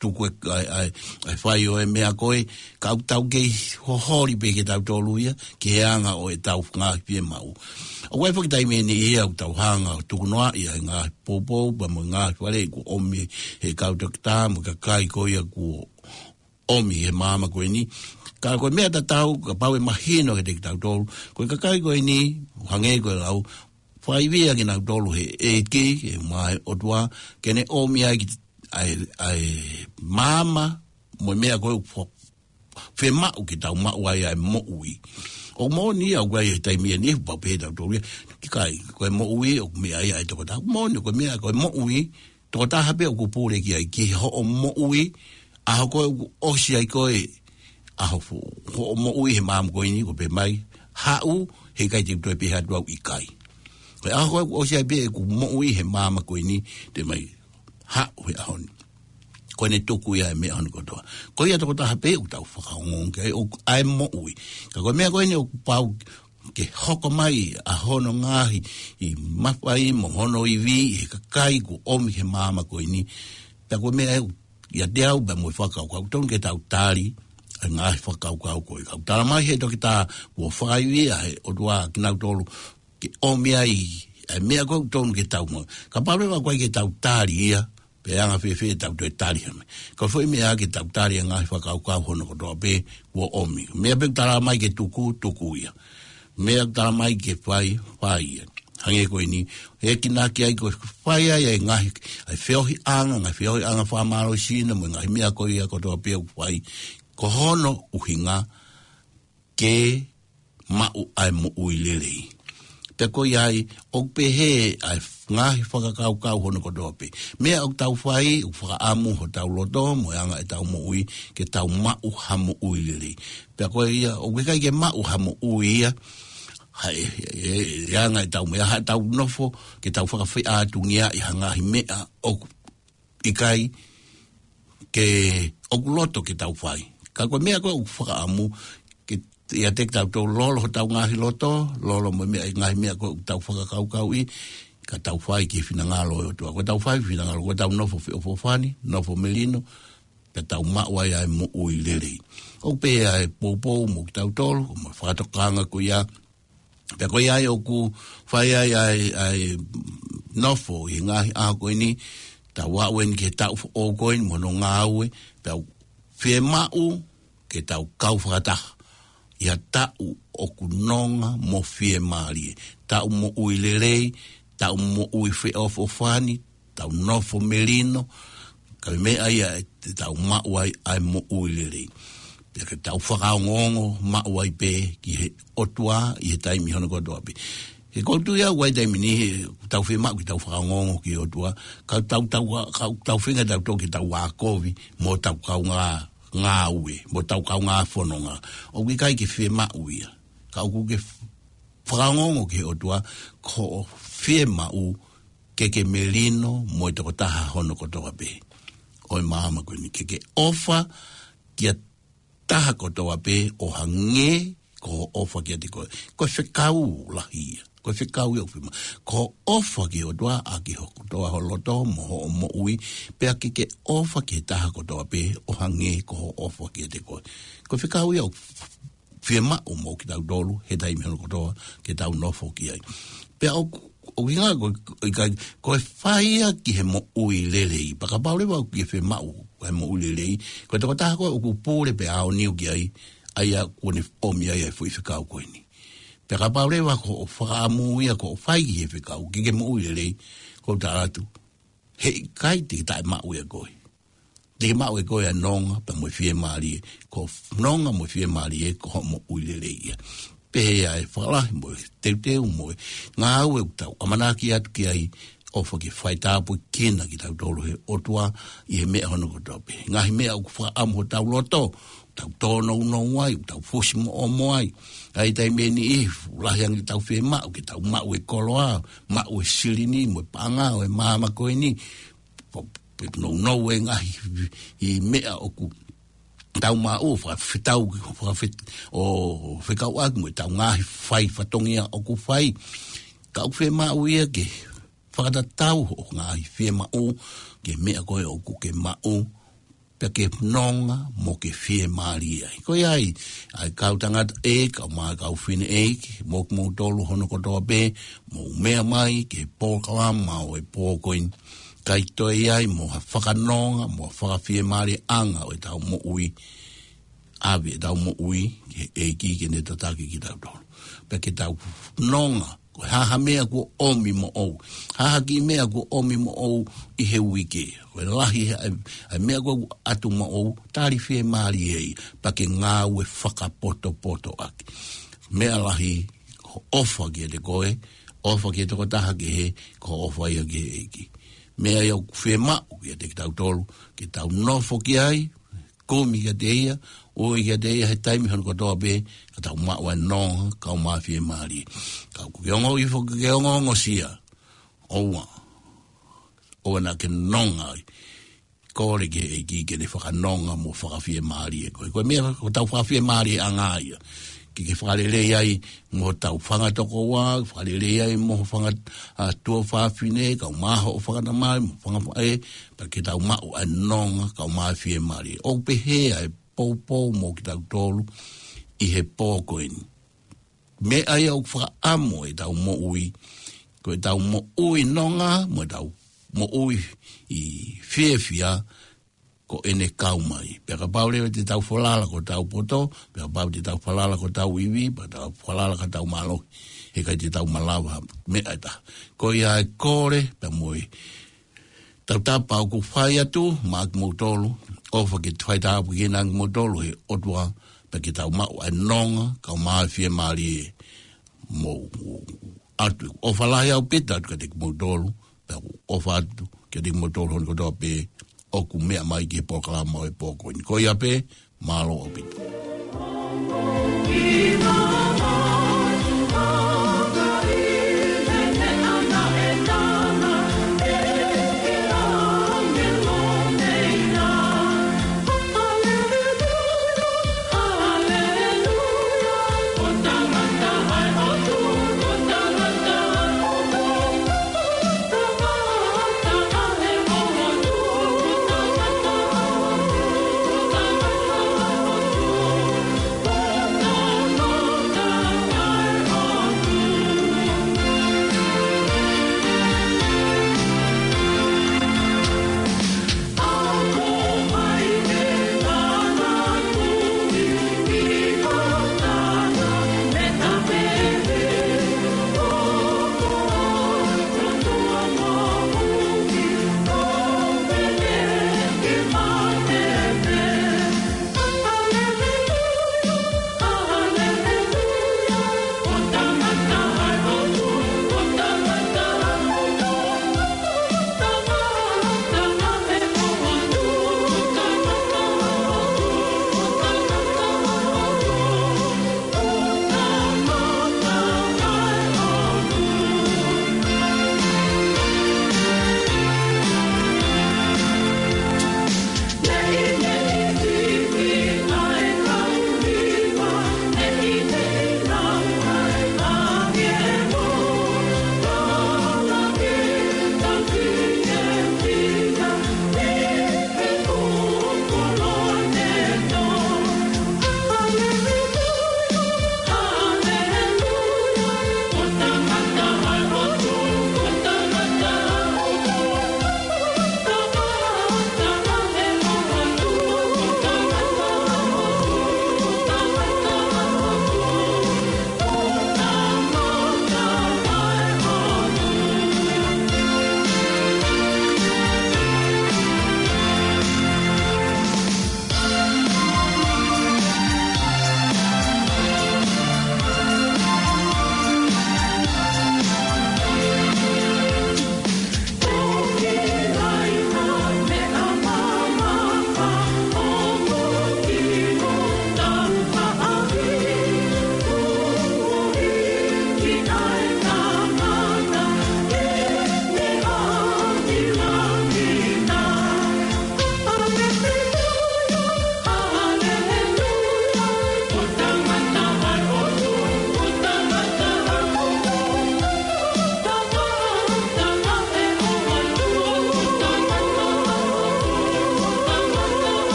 tuku e, ʻa e, ʻa e, ʻa e fai ʻo e meʻa ko ē, ka ʻoku tau kei hoholi pē kitautolu ia, ki he anga ʻo ʻetau ngaahi fiemaʻu. ʻOku ʻi ai foki taimi ʻe niʻihi ia ʻoku tau hanga ʻo tukunoaʻi ʻa e ngaahi poupou, pea mo e ngaahi faleʻi kuo ʻomi he kau toketā mo e kakai ko ia kuo ʻomi he māmani ko eni. Ka ko e meʻa tatau, kapau ʻe mahino kiate kitautolu, ko e kakai ko eni, hangē ko e lau, fakaivia kinautolu he ʻEiki, ʻe ʻumaʻā e ʻOtua, ke ne ʻomi ai ki, ʻa e, ʻa e maama, mo e meʻa ko ē ʻoku fo-, fiemaʻu ke tau maʻu ai ʻa e moʻui. ʻOku moʻoni ia ʻoku ʻi ai e taimi ʻe niʻihi ʻoku pehē ʻe tautolu ia, ʻikai, ko e moʻui ʻoku meʻa ia ʻa e toketā. Moʻoni, ko e meʻa, ko e moʻui, tokotaha pē ʻoku pule ki ai, ki hoʻo moʻui, ʻaho ko ē ʻoku ʻosi ai ko ē, ʻaho fo-, hoʻo moʻui he māmani ko eni, ʻoku pehē mai, haʻu, heʻikai te u toe pehē atu au ʻikai. Ko e ʻaho ko ē ʻoku ʻosi ai pē ʻeku moʻui he māmani ko eni, te u mai, haʻu he ʻaho ni. Ko ʻene tuku ia e meʻa hono kotoa. Ko ia tokotaha pē ʻoku tau fakaongoongo ki ai, ʻoku ʻi ai e moʻui. Ka ko e meʻa ko eni ʻoku pau ke hoko mai ʻa hono ngaahi mafai mo hono ivi he kakai kuo ʻomi he māmani ko eni. Pea ko e meʻa ē ʻoku ʻiate au pea mo e fakakaukau, tonu ke tau tali ʻa e ngaahi fakakaukau ko ē. Ka ʻoku talamai he toketā kuo fakaivia he ʻOtua kinautolu ke ʻomi ai ʻa e meʻa ko ē ʻoku tonu ke tau maʻu. Kapau leva ʻoku ʻikai ke tau tali ia, pe anga fēfē ʻetau toe tali ha meʻa. Ko e foʻi meʻa ke tau tali ʻa e ngaahi fakakaukau hono kotoa pē kuo ʻomi. Meʻa pē ʻoku talamai ke tuku, tuku ia. Meʻa ʻoku talamai ke fai, fai ia. Hangē ko eni, ʻe kinautolu ai ko e fai ai ʻa e ngaahi, ʻa e feohiʻanga, ngaahi feohiʻanga fakamālohisino, mo e ngaahi meʻa ko ia kotoa pē ʻoku fai. Ko hono ʻuhinga ke maʻu ʻa e moʻui lelei. Pea ko ia ai, ʻoku pehē ʻa e ngaahi fakakaukau hono kotoa pē. Meʻa ʻoku tau fai, ʻoku fakaʻamu hotau loto, mo e anga ʻetau moʻui, ke tau maʻu ha moʻui lelei. Pea ko ia, ʻoku ʻikai ke maʻu ha moʻui ia, ha e, e, e, e anga ʻetau meʻa, ha tau nofo, ke tau fakafeʻātungiaʻi ha ngaahi meʻa ʻoku ʻikai ke ʻoku loto ke tau fai. Ka ko e meʻa ko ē ʻoku fakaʻamu ke ia te tau tau lolo hotau ngaahi loto, lolo mo e meʻa, ngaahi meʻa ko ē ʻoku tau fakakaukauʻi, ka tau fai ki he finangalo ʻo e ʻOtua. Ko ʻetau fai finangalo, ko ʻetau nofo feʻofoʻofani, nofo melino, pea tau maʻu ai ʻa e moʻui lelei. ʻOku pehē ʻa e poupou mo kitautolu, mo e fakatokanga ko ia, pea ko ia ai ʻoku fai ai ʻa e, ʻa e nofo ʻi he ngaahi ʻaho ko eni, tau aʻu eni ki he taʻu foʻou ko eni mo hono ngāue, pea ʻoku fiemaʻu ke tau kau fakataha ʻi ha taʻu ʻoku nonga mo fiemālie. Taʻu moʻui lelei, taʻu moʻui feʻofoʻofani, tau nofo melino, ka ko e meʻa ia ʻe te tau maʻu ai ʻa e moʻui lelei. Pea ke tau fakaongoongo maʻu ai pē ki he ʻOtua ʻi he taimi hono kotoa pē. He ʻoku ou tui au ʻi he taimi ni, he tau fiemaʻu ke tau fakaongoongo ki he ʻOtua, ka tau, tau, ka tau feinga tau toki tau ʻā kovi, mo tau kaungā ngāue, mo tau kaungā fononga. ʻOku ʻikai ke fiemaʻu ia. Ka ʻoku ke f-, fakaongoongo ki he ʻOtua, ko hoʻo fiemaʻu ke ke melino mo e tokotaha hono kotoa pē ʻo e māmani ko eni, ke ke ʻofa ki ha taha kotoa pē ʻo hangē ko hoʻo ʻofa kiate koe. Ko e fekau lahi ia. Ko e fekau ia ʻoku fiemaʻu. Ko hoʻo ʻofa ki he ʻOtua ʻaki ho kotoa ho loto mo hoʻo moʻui, pea ke ke ʻofa ki he taha kotoa pē ʻo hangē ko hoʻo ʻofa kiate koe. Ko e fekau ia ʻoku fiemaʻu mo kitautolu, he taimi hono kotoa, ke tau nofo ki ai. Pea ʻoku, ʻoku ʻuhinga ko, ko, ko e fai ia ki he moʻui lelei. Pea kapau leva ʻoku ke fiemaʻu ʻa e moʻui lelei, ko e tokotaha ko ē ʻoku pule pea aoniu ki ai, ʻa ia kuo ne ʻomi ai ʻa e foʻi fekau ko eni. Pea kapau leva ko hoʻo fakaʻamu ia ko hoʻo fai ki he fekau, ke ke moʻui lelei, ʻoku ou tala atu, he ʻikai te ke taʻemaʻu ʻe koe. Te ke maʻu ʻe koe ʻa e nonga pea mo e fiemālie. Ko e nonga mo e fiemālie ko hoʻo moʻui lelei ia. Pehē ʻa e fakalahi mo e teuteu mo e ngāue ʻoku tau ʻamanaki atu ki ai, ʻofa ke faitāpuekina kitautolu he ʻOtua ʻi he meʻa hono kotoa pē. Ngaahi meʻa ʻoku fakaʻamu hotau loto, tau tōnounou ai, tau fusimoʻomo ai. ʻA ia ʻi he taimi ni ʻoku lahi ange ʻetau fiemaʻu, ke tau maʻu e koloa, maʻu e silini, mo e paʻanga ʻo e māmani ko eni, pe, pe nounou e ngaahi ʻi meʻa ʻoku tau maʻu, fakafetau, fakafet-, ʻo fekauʻaki mo ʻetau ngaahi fai fatongia ʻoku fai. Ka ʻoku fiemaʻu ia ke fakatatau hoʻo ngaahi fiemaʻu ki he meʻa ko ē ʻoku ke maʻu, pea ke nonga mo ke fiemālie ai. Ko ia ai, ʻa e kau tangata ʻeiki, kau mā kau fefine ʻeiki, mo kimoutolu hono kotoa pē, mou meʻa mai ki he polokalama ʻo e pō ko eni. ʻIkai toe ʻi ai mo ha fakanonga, mo ha fakafiemālieʻanga ʻo ʻetau moʻui, ʻave ʻetau moʻui ki he ʻEiki ke ne tataki kitautolu. Pea ke tau nonga, ko e hā ha meʻa kuo ʻomi moʻou. Hā ha kiʻi meʻa kuo ʻomi moʻou ʻi he uike. Ko e lahi ʻa e, ʻa e meʻa kuo ʻatu moʻou, tali fiemālie ai, pea ke ngāue fakapotopoto ʻaki. Meʻa lahi, ko e ʻofa kiate koe, ʻofa ki he tokotaha kehe, ko e ʻofa ia ki he ʻEiki. Meʻa ia ʻoku fiemaʻu kiate kitautolu, ke tau nofo ki ai, kumi kiate ia, ui kiate ia he taimi hono kotoa pē, ka tau maʻu ʻa e nonga, kau mā fiemālie. Ka ʻoku ke ongo ʻi foki ke ongoongosia, ʻoua, ʻoua naʻa ke nonga ai. Kole ki he ʻEiki ke ne fakanonga mo fakafiemālie koe. Ko e meʻa ko ʻetau fakafiemālieʻanga ia. Ke ke fakalelei ai mo hotau fanga tokoua, fakalelei ai mo ho fanga, ʻa, tuofāfine, kau mā hoʻo fanga tamai, mo fanga faʻē, pea ke tau maʻu ʻa e nonga, kau mā fiemālie. ʻOku pehē ʻa e poupou mo kitautolu ʻi he pō ko eni. Meʻa ia ʻoku fakaʻamu ʻetau moʻui, ko ʻetau moʻui nonga, mo ʻetau moʻui ʻi fiefia, ko ʻene kau mai. Pea kapau leva te tau falala ki hotau poto, pea kapau te tau falala ki hotau ivi, pea tau falala ki hotau mālohi, heʻikai te tau malava meʻa ʻe taha. Ko ia e kole, pea mo e tautapa ʻoku fai atu maʻa kimoutolu, ʻofa ke faitāpuekina kimoutolu he ʻOtua, pea ke tau maʻu ʻa e nonga, kau mā fiemālie mo atu ʻofa lahi ʻaupito atu kiate kimoutolu, pea ʻoku ʻofa atu kiate kimoutolu hono kotoa pē ʻoku meʻa mai ki he polokalama ʻo e pō ko eni. Ko ia pē, mālō ʻaupito.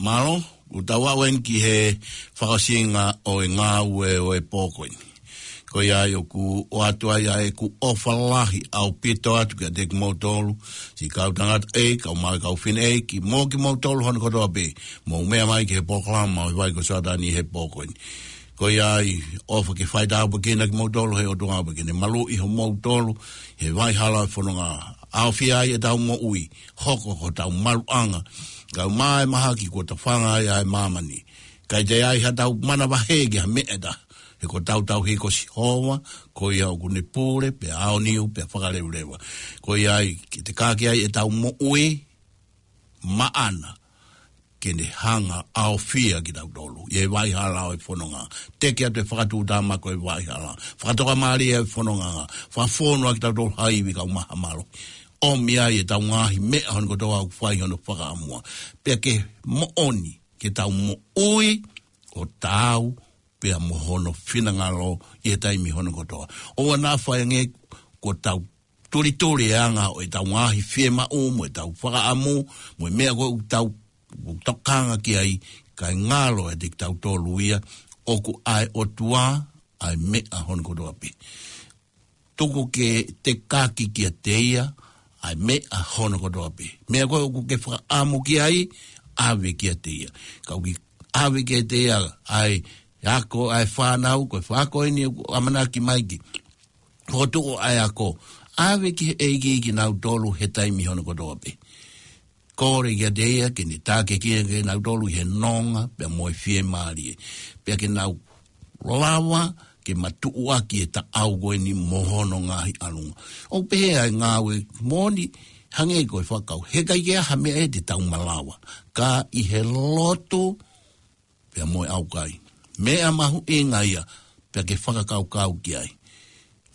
Mālō, ʻoku tau aʻu eni ki he fakaʻosinga ʻo e ngāue ʻo e pō ko eni. Ko ia ai ʻoku ʻoatu ai ʻa ʻeku ʻofa lahi ʻaupito atu kiate kimoutolu, siʻi kau tangataʻeiki, kau mā kau fineʻeiki, mo kimoutolu hono kotoa pē, mou meʻa mai ki he polokalama ʻo e vai ko Soatani he pō ko eni. Ko ia ai, ʻofa ke faitāpuekina kimoutolu ʻe he ʻOtua pea ke ne maluʻi hoʻomoutolu he vai hala ʻo e fononga. ʻAofia ai ʻetau moʻui, hoko ko hotau maluʻanga, kae ʻumaʻā e mahaki kuo tafanga ai ʻa e māmani. ʻIkai toe ʻi ai haʻatau manavahē ki ha meʻa ʻe taha, he ko hotau tauhi ko Sihova, ko ia ʻoku ne pule, pea aoniu, pea fakaleveleva. Ko ia ai, ke tekaki ai ʻetau moʻui maʻana, ke ne hanga ʻo ʻaofia kitautolu ʻi he vai hala ʻo e fononga. Teke atu e fakatuʻutāmaki ʻo e vai hala, fakatokamālie ʻo e fononga, fakafonu ʻa kitautolu ha ivi, kau maha mālohi. ʻOmi ai ʻetau ngaahi meʻa hono kotoa ʻoku fai hono fakaʻamua, pea ke moʻoni ke tau moʻui ʻo taau pea mo hono finangalo ʻi he taimi hono kotoa. ʻOua naʻa faʻahinga kuo tau tulituli e anga ʻo ʻetau ngaahi fiemaʻu, mo ʻetau fakaʻamu, mo e meʻa ko ē ʻoku tau, ʻoku tokanga ki ai, kae ngalo ʻiate kitautolu ia, ʻoku ʻa e ʻOtua ʻa e meʻa hono kotoa pē. Tuku ke tekaki kiate ia ʻa e meʻa hono kotoa pē. Meʻa ko ē ʻoku ke fakaʻamu ki ai, ʻave kiate ia. Ka ʻoku ke ʻave kiate ia ʻa e ako ʻa e fānau, ko e fā ko eni ʻoku ʻamanaki mai ke Fokotuʻu ʻa e ako, ʻave ki he ʻEiki kinautolu he taimi hono kotoa pē. Kole kiate ia ke ne tākiekina kinautolu ʻi he nonga pea mo e fiemālie. Pea ke nau lava ke matuʻuaki e taʻau ko eni mo hono ngaahi ʻalunga. ʻOku pehē ʻa e ngāue moʻoni, hangē ko e fakakaukau. Heʻikai ke ʻi ai ha meʻa ʻe te tau malava. Ka ʻi he lotu, pea mo e ʻaukai. Meʻa mahuʻinga ia, pea ke fakakaukau ki ai.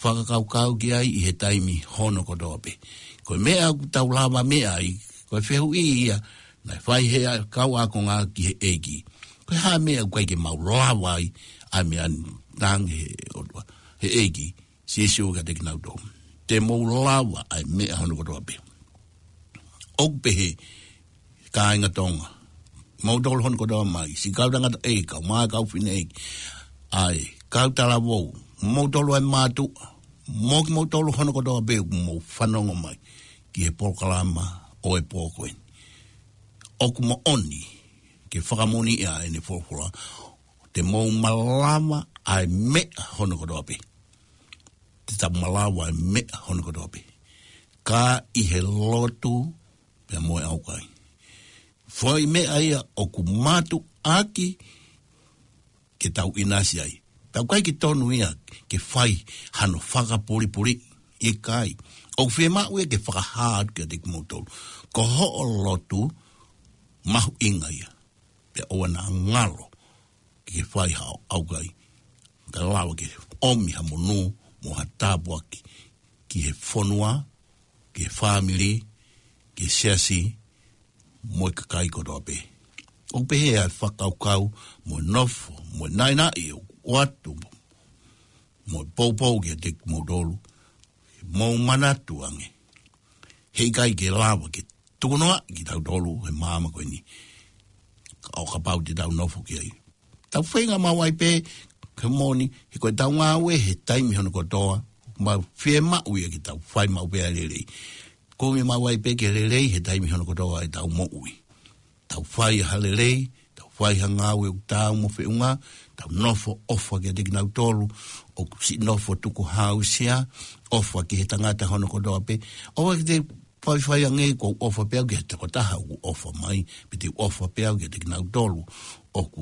Fakakaukau ki ai ʻi he taimi hono kotoa pē. Ko e meʻa ʻoku tau lava meʻa ai, ko e fehuʻi ia, naʻe fai he kau ākonga ki he ʻEiki. Ko e hā meʻa ʻoku ʻikai ke mau lava ai, ʻa e meʻa ni, talaange he ʻOtua, he ʻEiki, Sīsū kiate kinautolu. Te mou lava ʻa e meʻa hono kotoa pē. ʻOku pehē, kāinga Tonga, moutolu hono kotoa mai, siʻi kau tangataʻeiki, kau mā kau fineʻeiki, ʻa e kau talavou, moutolu ʻa e mātuʻa, mo kimoutolu hono kotoa pē ʻoku mou fanongo mai ki he polokalama ʻo e pō ko eni. ʻOku moʻoni ke fakamoʻoni ʻa ʻene folofola, te mou malava ʻa e meʻa hono kotoa pē. Te tau malava ʻa e meʻa hono kotoa pē. Ka ʻi he lotu pea mo e ʻaukai. Foʻi meʻa ia ʻoku mātuʻaki ke tau ʻinasi ai. Tau ʻikai ke tonu ia ke fai hano fakapulipuli, ʻikai. ʻOku fiemaʻu ia ke fakahā atu kiate kimoutolu. Ko hoʻo lotu mahuʻinga ia. Pea ʻoua naʻa ngalo ke fai haʻo ʻaukai. Ka lava ke ʻomi ha monū mo ha tāpuaki ki he fonua, ki he fāmili, ki he siasi, mo e kakai kotoa pē. ʻOku pehē ʻa e fakakaukau, mo e nofo, mo e naʻinaʻi ʻoku ʻoatu, mo e poupou kiate kimoutolu, mou manatu ange. Heʻikai ke lava ke tukunoaʻi kitautolu he māmani ko eni. ʻO kapau te tau nofo ki ai. Tau feinga maʻu ai pē, ke moʻoni, he ko e tau ngāue he taimi hono kotoa, mau fiemaʻu ia ke tau fai maʻu pē ʻa e lelei. Kumi maʻu ai pē ke lelei he taimi hono kotoa ʻetau moʻui. Tau fai ha lelei, tau fai ha ngāue ʻoku taau mo e feʻunga, tau nofo ʻofa kiate kinautolu ʻoku siʻi nofo tukuhāusia, ʻofa ki he tangata hono kotoa pē. ʻOua te faifai ange ʻoku ou ʻofa pē au ki he tokotaha ʻoku ʻofa mai, pe te u ʻofa pē au kiate kinautolu ʻoku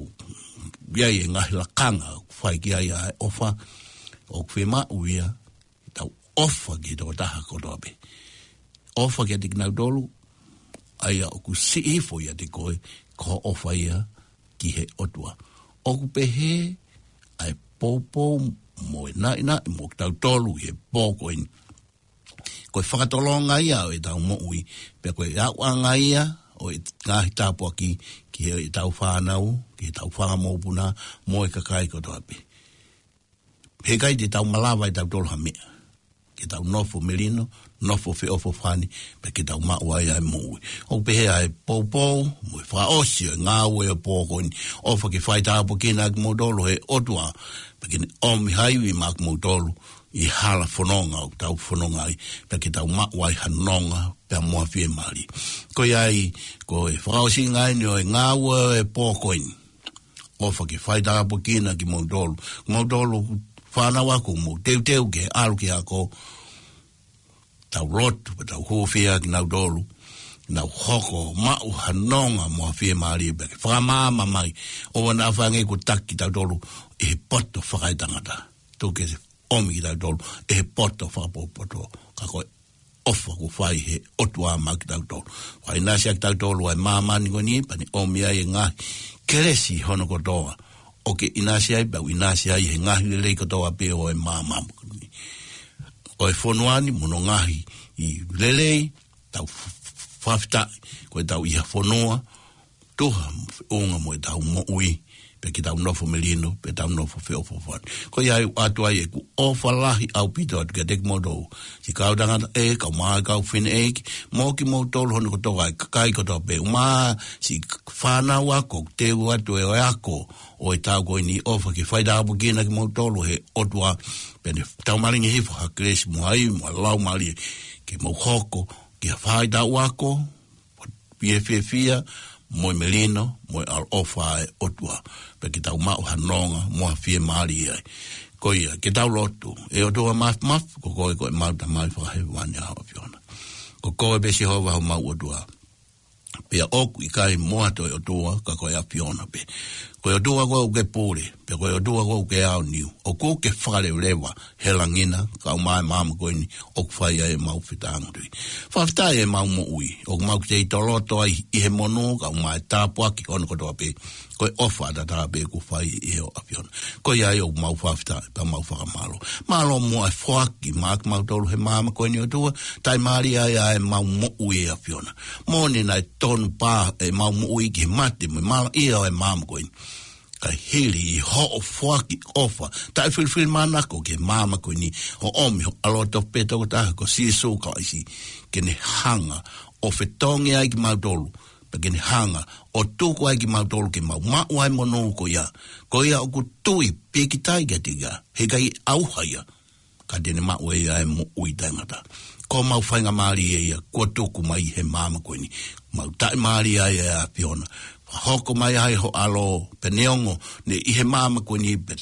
ʻi ai e ngaahi lakanga ʻoku fai ki ai ʻa e ʻofa. ʻOku fiemaʻu ia ke tau ʻofa ki he tokotaha kotoa pē. ʻOfa kiate kinautolu, ʻa ia ʻoku siʻi hifo ʻiate koe, ko hoʻo ʻofa ia ki he ʻOtua. ʻOku pehē ʻa e poupou mo e naʻinaʻi mo kitautolu he pō ko eni. Ko e fakatolonga ia ʻo ʻetau moʻui, pea ko e ʻauʻanga ia ʻo e ngaahi tāpuaki ki heʻetau fānau, ki heʻetau fanga mokopuna, mo e kakai kotoa pē. Heʻikai te tau malava ʻe tautolu ha meʻa. Ke tau nofo melino, nofo feʻofoʻofani, pea ke tau maʻu ai ʻa e moʻui. ʻOku pehē ʻa e poupou, mo e fakaʻosi ʻo e ngāue ʻo e pō ko eni. ʻOfa ke faitāpuekina kimoutolu he ʻOtua, pea ke ne ʻomi ha ivi maʻa kimoutolu ʻi hala fononga ʻoku tau fononga ai, pea ke tau maʻu ai ha nonga, pea mo ha fiemālie. Ko ia ai, ko e fakaʻosinga eni ʻo e ngāue ʻo e pō ko eni. ʻOfa ke faitāpuekina kimoutolu. Moutolu fānau ako, mou teuteu ke ʻalu ki he ako, tau lotu, pea tau hūfia kinautolu. Nau hoko, maʻu ha nonga mo ha fiemālie pea ke fakamaama mai. ʻOua naʻa fai ange kuo taki kitautolu ʻe he poto fakaetangata. Tuku ke ʻomi kitautolu ʻe he poto fakapotopoto. Ka ko e ʻofa kuo fai he ʻOtua maʻa kitautolu. Fakaʻinasi ʻa kitautolu ʻa e māmani ko eni, pea ne ʻomi ai e ngaahi kelesi hono kotoa. ʻOku ke ʻinasi ai, pea u ʻinasi ai he ngaahi lelei kotoa pē ʻo e māmani ko eni. ʻO e fonua ni mo hono ngaahi lelei, tau f-, f-, fakafetaʻi, ko ʻetau ʻi ha fonua, tuha mo feʻunga mo ʻetau moʻui, pea ke tau nofo melino, pea tau nofo feʻofoʻofani. Ko ia ai ʻoatu ai ʻeku ʻofa lahi ʻaupito atu kiate kimoutolu. Siʻi kau tangataʻeiki, kau mā kau fineʻeiki, mo kimoutolu hono kotoa e kakai kotoa pē, ʻumaʻā siʻi fānau ako, teu atu e ʻo e ako, ʻo e taʻu ko eni ʻofa ke faitāpuekina kimoutolu he ʻOtua, pea ne taumalingi hifo ha kelesi mo ha ivi mo ha laumālie, ke mou hoko, ke fai taʻu ako, pea fiefia, mo e melino, mo e ʻaloʻofa ʻa e ʻOtua. Pea ke tau maʻu ha nonga, mo ha fiemālie ai. Ko ia, ke tau lotu. ʻE ʻOtua Māfimafi, ko koe ko ʻemau Tamai Fakahēvani ʻa ho ʻAfiona. Ko koe pē Sihova homau ʻOtua. Pea ʻoku ʻikai mo ha toe ʻOtua, ka ko e ʻAfiona pē. Ko e ʻOtua koe ʻoku ke pule, pea ko e ʻOtua koe ʻoku ke aoniu. ʻOku ke fakaleveleva he langi na, kae ʻumaʻā e māmani ko eni, ʻoku fai ai ʻemau fetāngutuʻi. Fakafetaʻi ʻemau moʻui, ʻoku mau kei toloto ai ʻi he monū, kae ʻumaʻā e tāpuaki hono kotoa pē. Ko e ʻofa ʻataʻatā pē kuo fai ʻe ho ʻAfiona. Ko ia ai ʻoku mau fakafetaʻi, pea mau fakamālō. Mālō muʻa e foaki maʻa kimautolu he māmani ko eni ʻOtua, taʻimālie ai ʻemau moʻui ʻe ʻAfiona. Moʻoni naʻe tonu pē ʻemau moʻui ki he mate mo e malaʻia ʻo e māmani ko eni. Ka hili ʻi hoʻo foaki ʻofa, taʻefilifilimānako ki he māmani ko eni, ʻo ʻomi ho ʻAlo tofu pē toko taha ko Sīsū Kalaisi, ke ne hanga ʻo fetongi ai kimautolu, pea ke ne hanga ʻo tuku ai kimautolu ke mau maʻu ʻa e monū ko ia. Ko ia ʻoku tui pīkitai kiate ia, heʻikai ʻauha ia, ka te ne maʻu ʻe ia e moʻui taʻengata. Ko homau faingamālie ia kuo tuku mai he māmani ko eni. Mau taʻimālie ai ʻe ʻAfiona. Fakahoko mai ai ho ʻAlo, pea neongo ne ʻi he māmani ko eni pea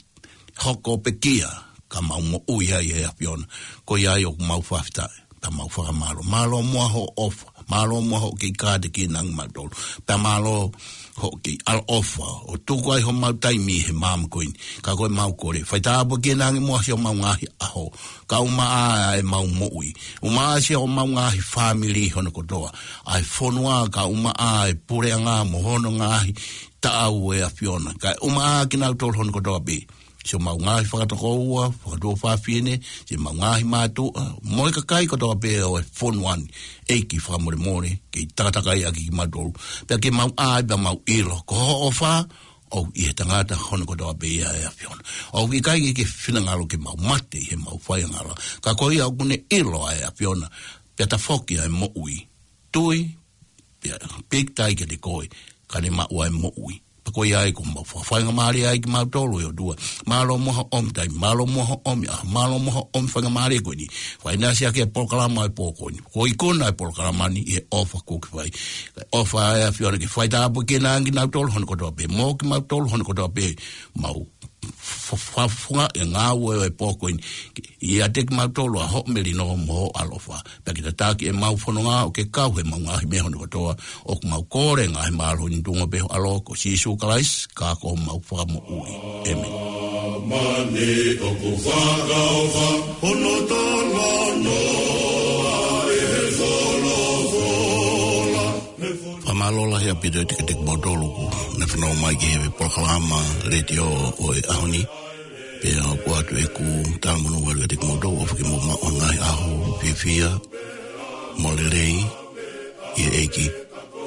hoko pekia, ka mau moʻui ai ʻe ʻAfiona. Ko ia ai ʻoku mau fakafetaʻi, pea mau fakamālō. Mālō muʻa hoʻo ʻofa, mālō muʻa hoʻo kei kātekina ange kimautolu. Pea mālō hoʻo kei ʻaloʻofa, ʻo tuku ai homau taimi he māmani ko eni. Ka ko ʻemau kole, fai tāpuekina ange muʻa siʻomau ngaahi ʻaho, kae ʻumaʻā ʻemau moʻui. ʻUmaʻā siʻomau ngaahi fāmili hono kotoa. ʻA e fonua kae ʻumaʻā e puleʻanga mo hono ngaahi taʻau ʻe ʻAfiona. Kae ʻumaʻā kinautolu hono kotoa pē. Siʻomau ngaahi fakatokoua, fakatuofāfine, siʻomau ngaahi mātuʻa, mo e kakai kotoa pē ʻo e fonua ni. ʻEiki fakamolemole, kei takatakai ʻaki kimautolu. Pea ke mau ʻai, pea mau ʻilo, ko hoʻo ʻofa, ʻoku ʻi he tangata hono kotoa pē ia ʻe ʻAfiona. ʻOku ʻikai ke ke finangalo ke mau mate ʻi heʻemau faiangahala. Ka ko ia ʻoku ne ʻilo ʻa e ʻAfiona, pea tafoki ʻa e moʻui. Tui, pea pīkitai kiate koe, ka ne maʻu ʻa e moʻui. Pea ko ia ai ʻoku mau fa-, faingamālie ai kimautolu ʻe ʻOtua. Mālō muʻa hoʻo ʻomi taimi, mālō muʻa hoʻo ʻomi ʻaho, mālō muʻa hoʻo ʻomi faingamālie ko eni. Fai naʻa siʻaki e polokalama ʻo e pō ko eni. Ko e ikuna e polokalama ni ʻi he ʻofa kuo ke fai. ʻOfa ʻe ʻAfiona ke fai tāpuekina ange kinautolu hono kotoa pē. Mo kimautolu hono kotoa pē mau fa-, fa-, funga e ngāue ʻo e pō ko eni. ʻIate kimautolu ʻa hoʻo melino mo hoʻo ʻaloʻofa. Pea ke tataki ʻemau fononga ʻo ke kau heʻemau ngaahi meʻa hono kotoa. ʻOku mau kole ngaahi mālohi ni ʻi he tuʻunga pē ho ʻAlo ko Sīsū Kalaisi, ka ko homau Fakamoʻui. ʻĒmeni. Mani ʻoku fakaʻofa, hono talanoa ʻi he folofola. Fakamālō lahi ʻaupito ʻiate kimoutolu kuo ne fanongo mai ki he polokalama letiō ʻo e ʻaho ni. Pea ʻoatu ʻeku talamonū atu kiate kimoutolu ʻofa ke mou maʻu ha ngaahi ʻaho fiefia mo lelei ʻi he ʻEiki.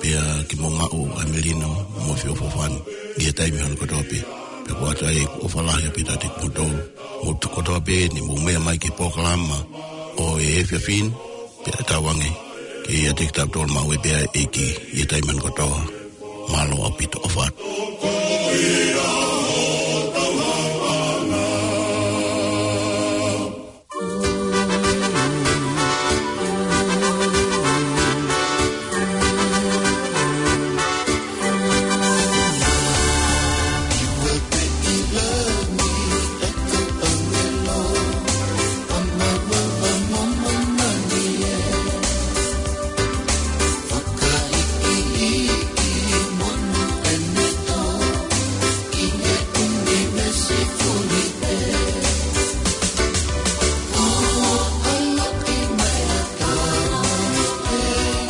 Pea ke mou maʻu ʻa e melino mo e feʻofoʻofani ʻi he taimi hono kotoa pē. Pea ʻoatu ai ʻeku ʻofa lahi ʻaupito ʻiate kimoutolu. Mou tuku kotoa pē ʻeni mou meʻa mai ki he polokalama ʻo e efiafi ni. Pea tauange ke ʻiate kitautolu maʻu pē ʻa e ʻEiki ʻi he taimi hono kotoa. Mālō ʻaupito, ʻofa atu.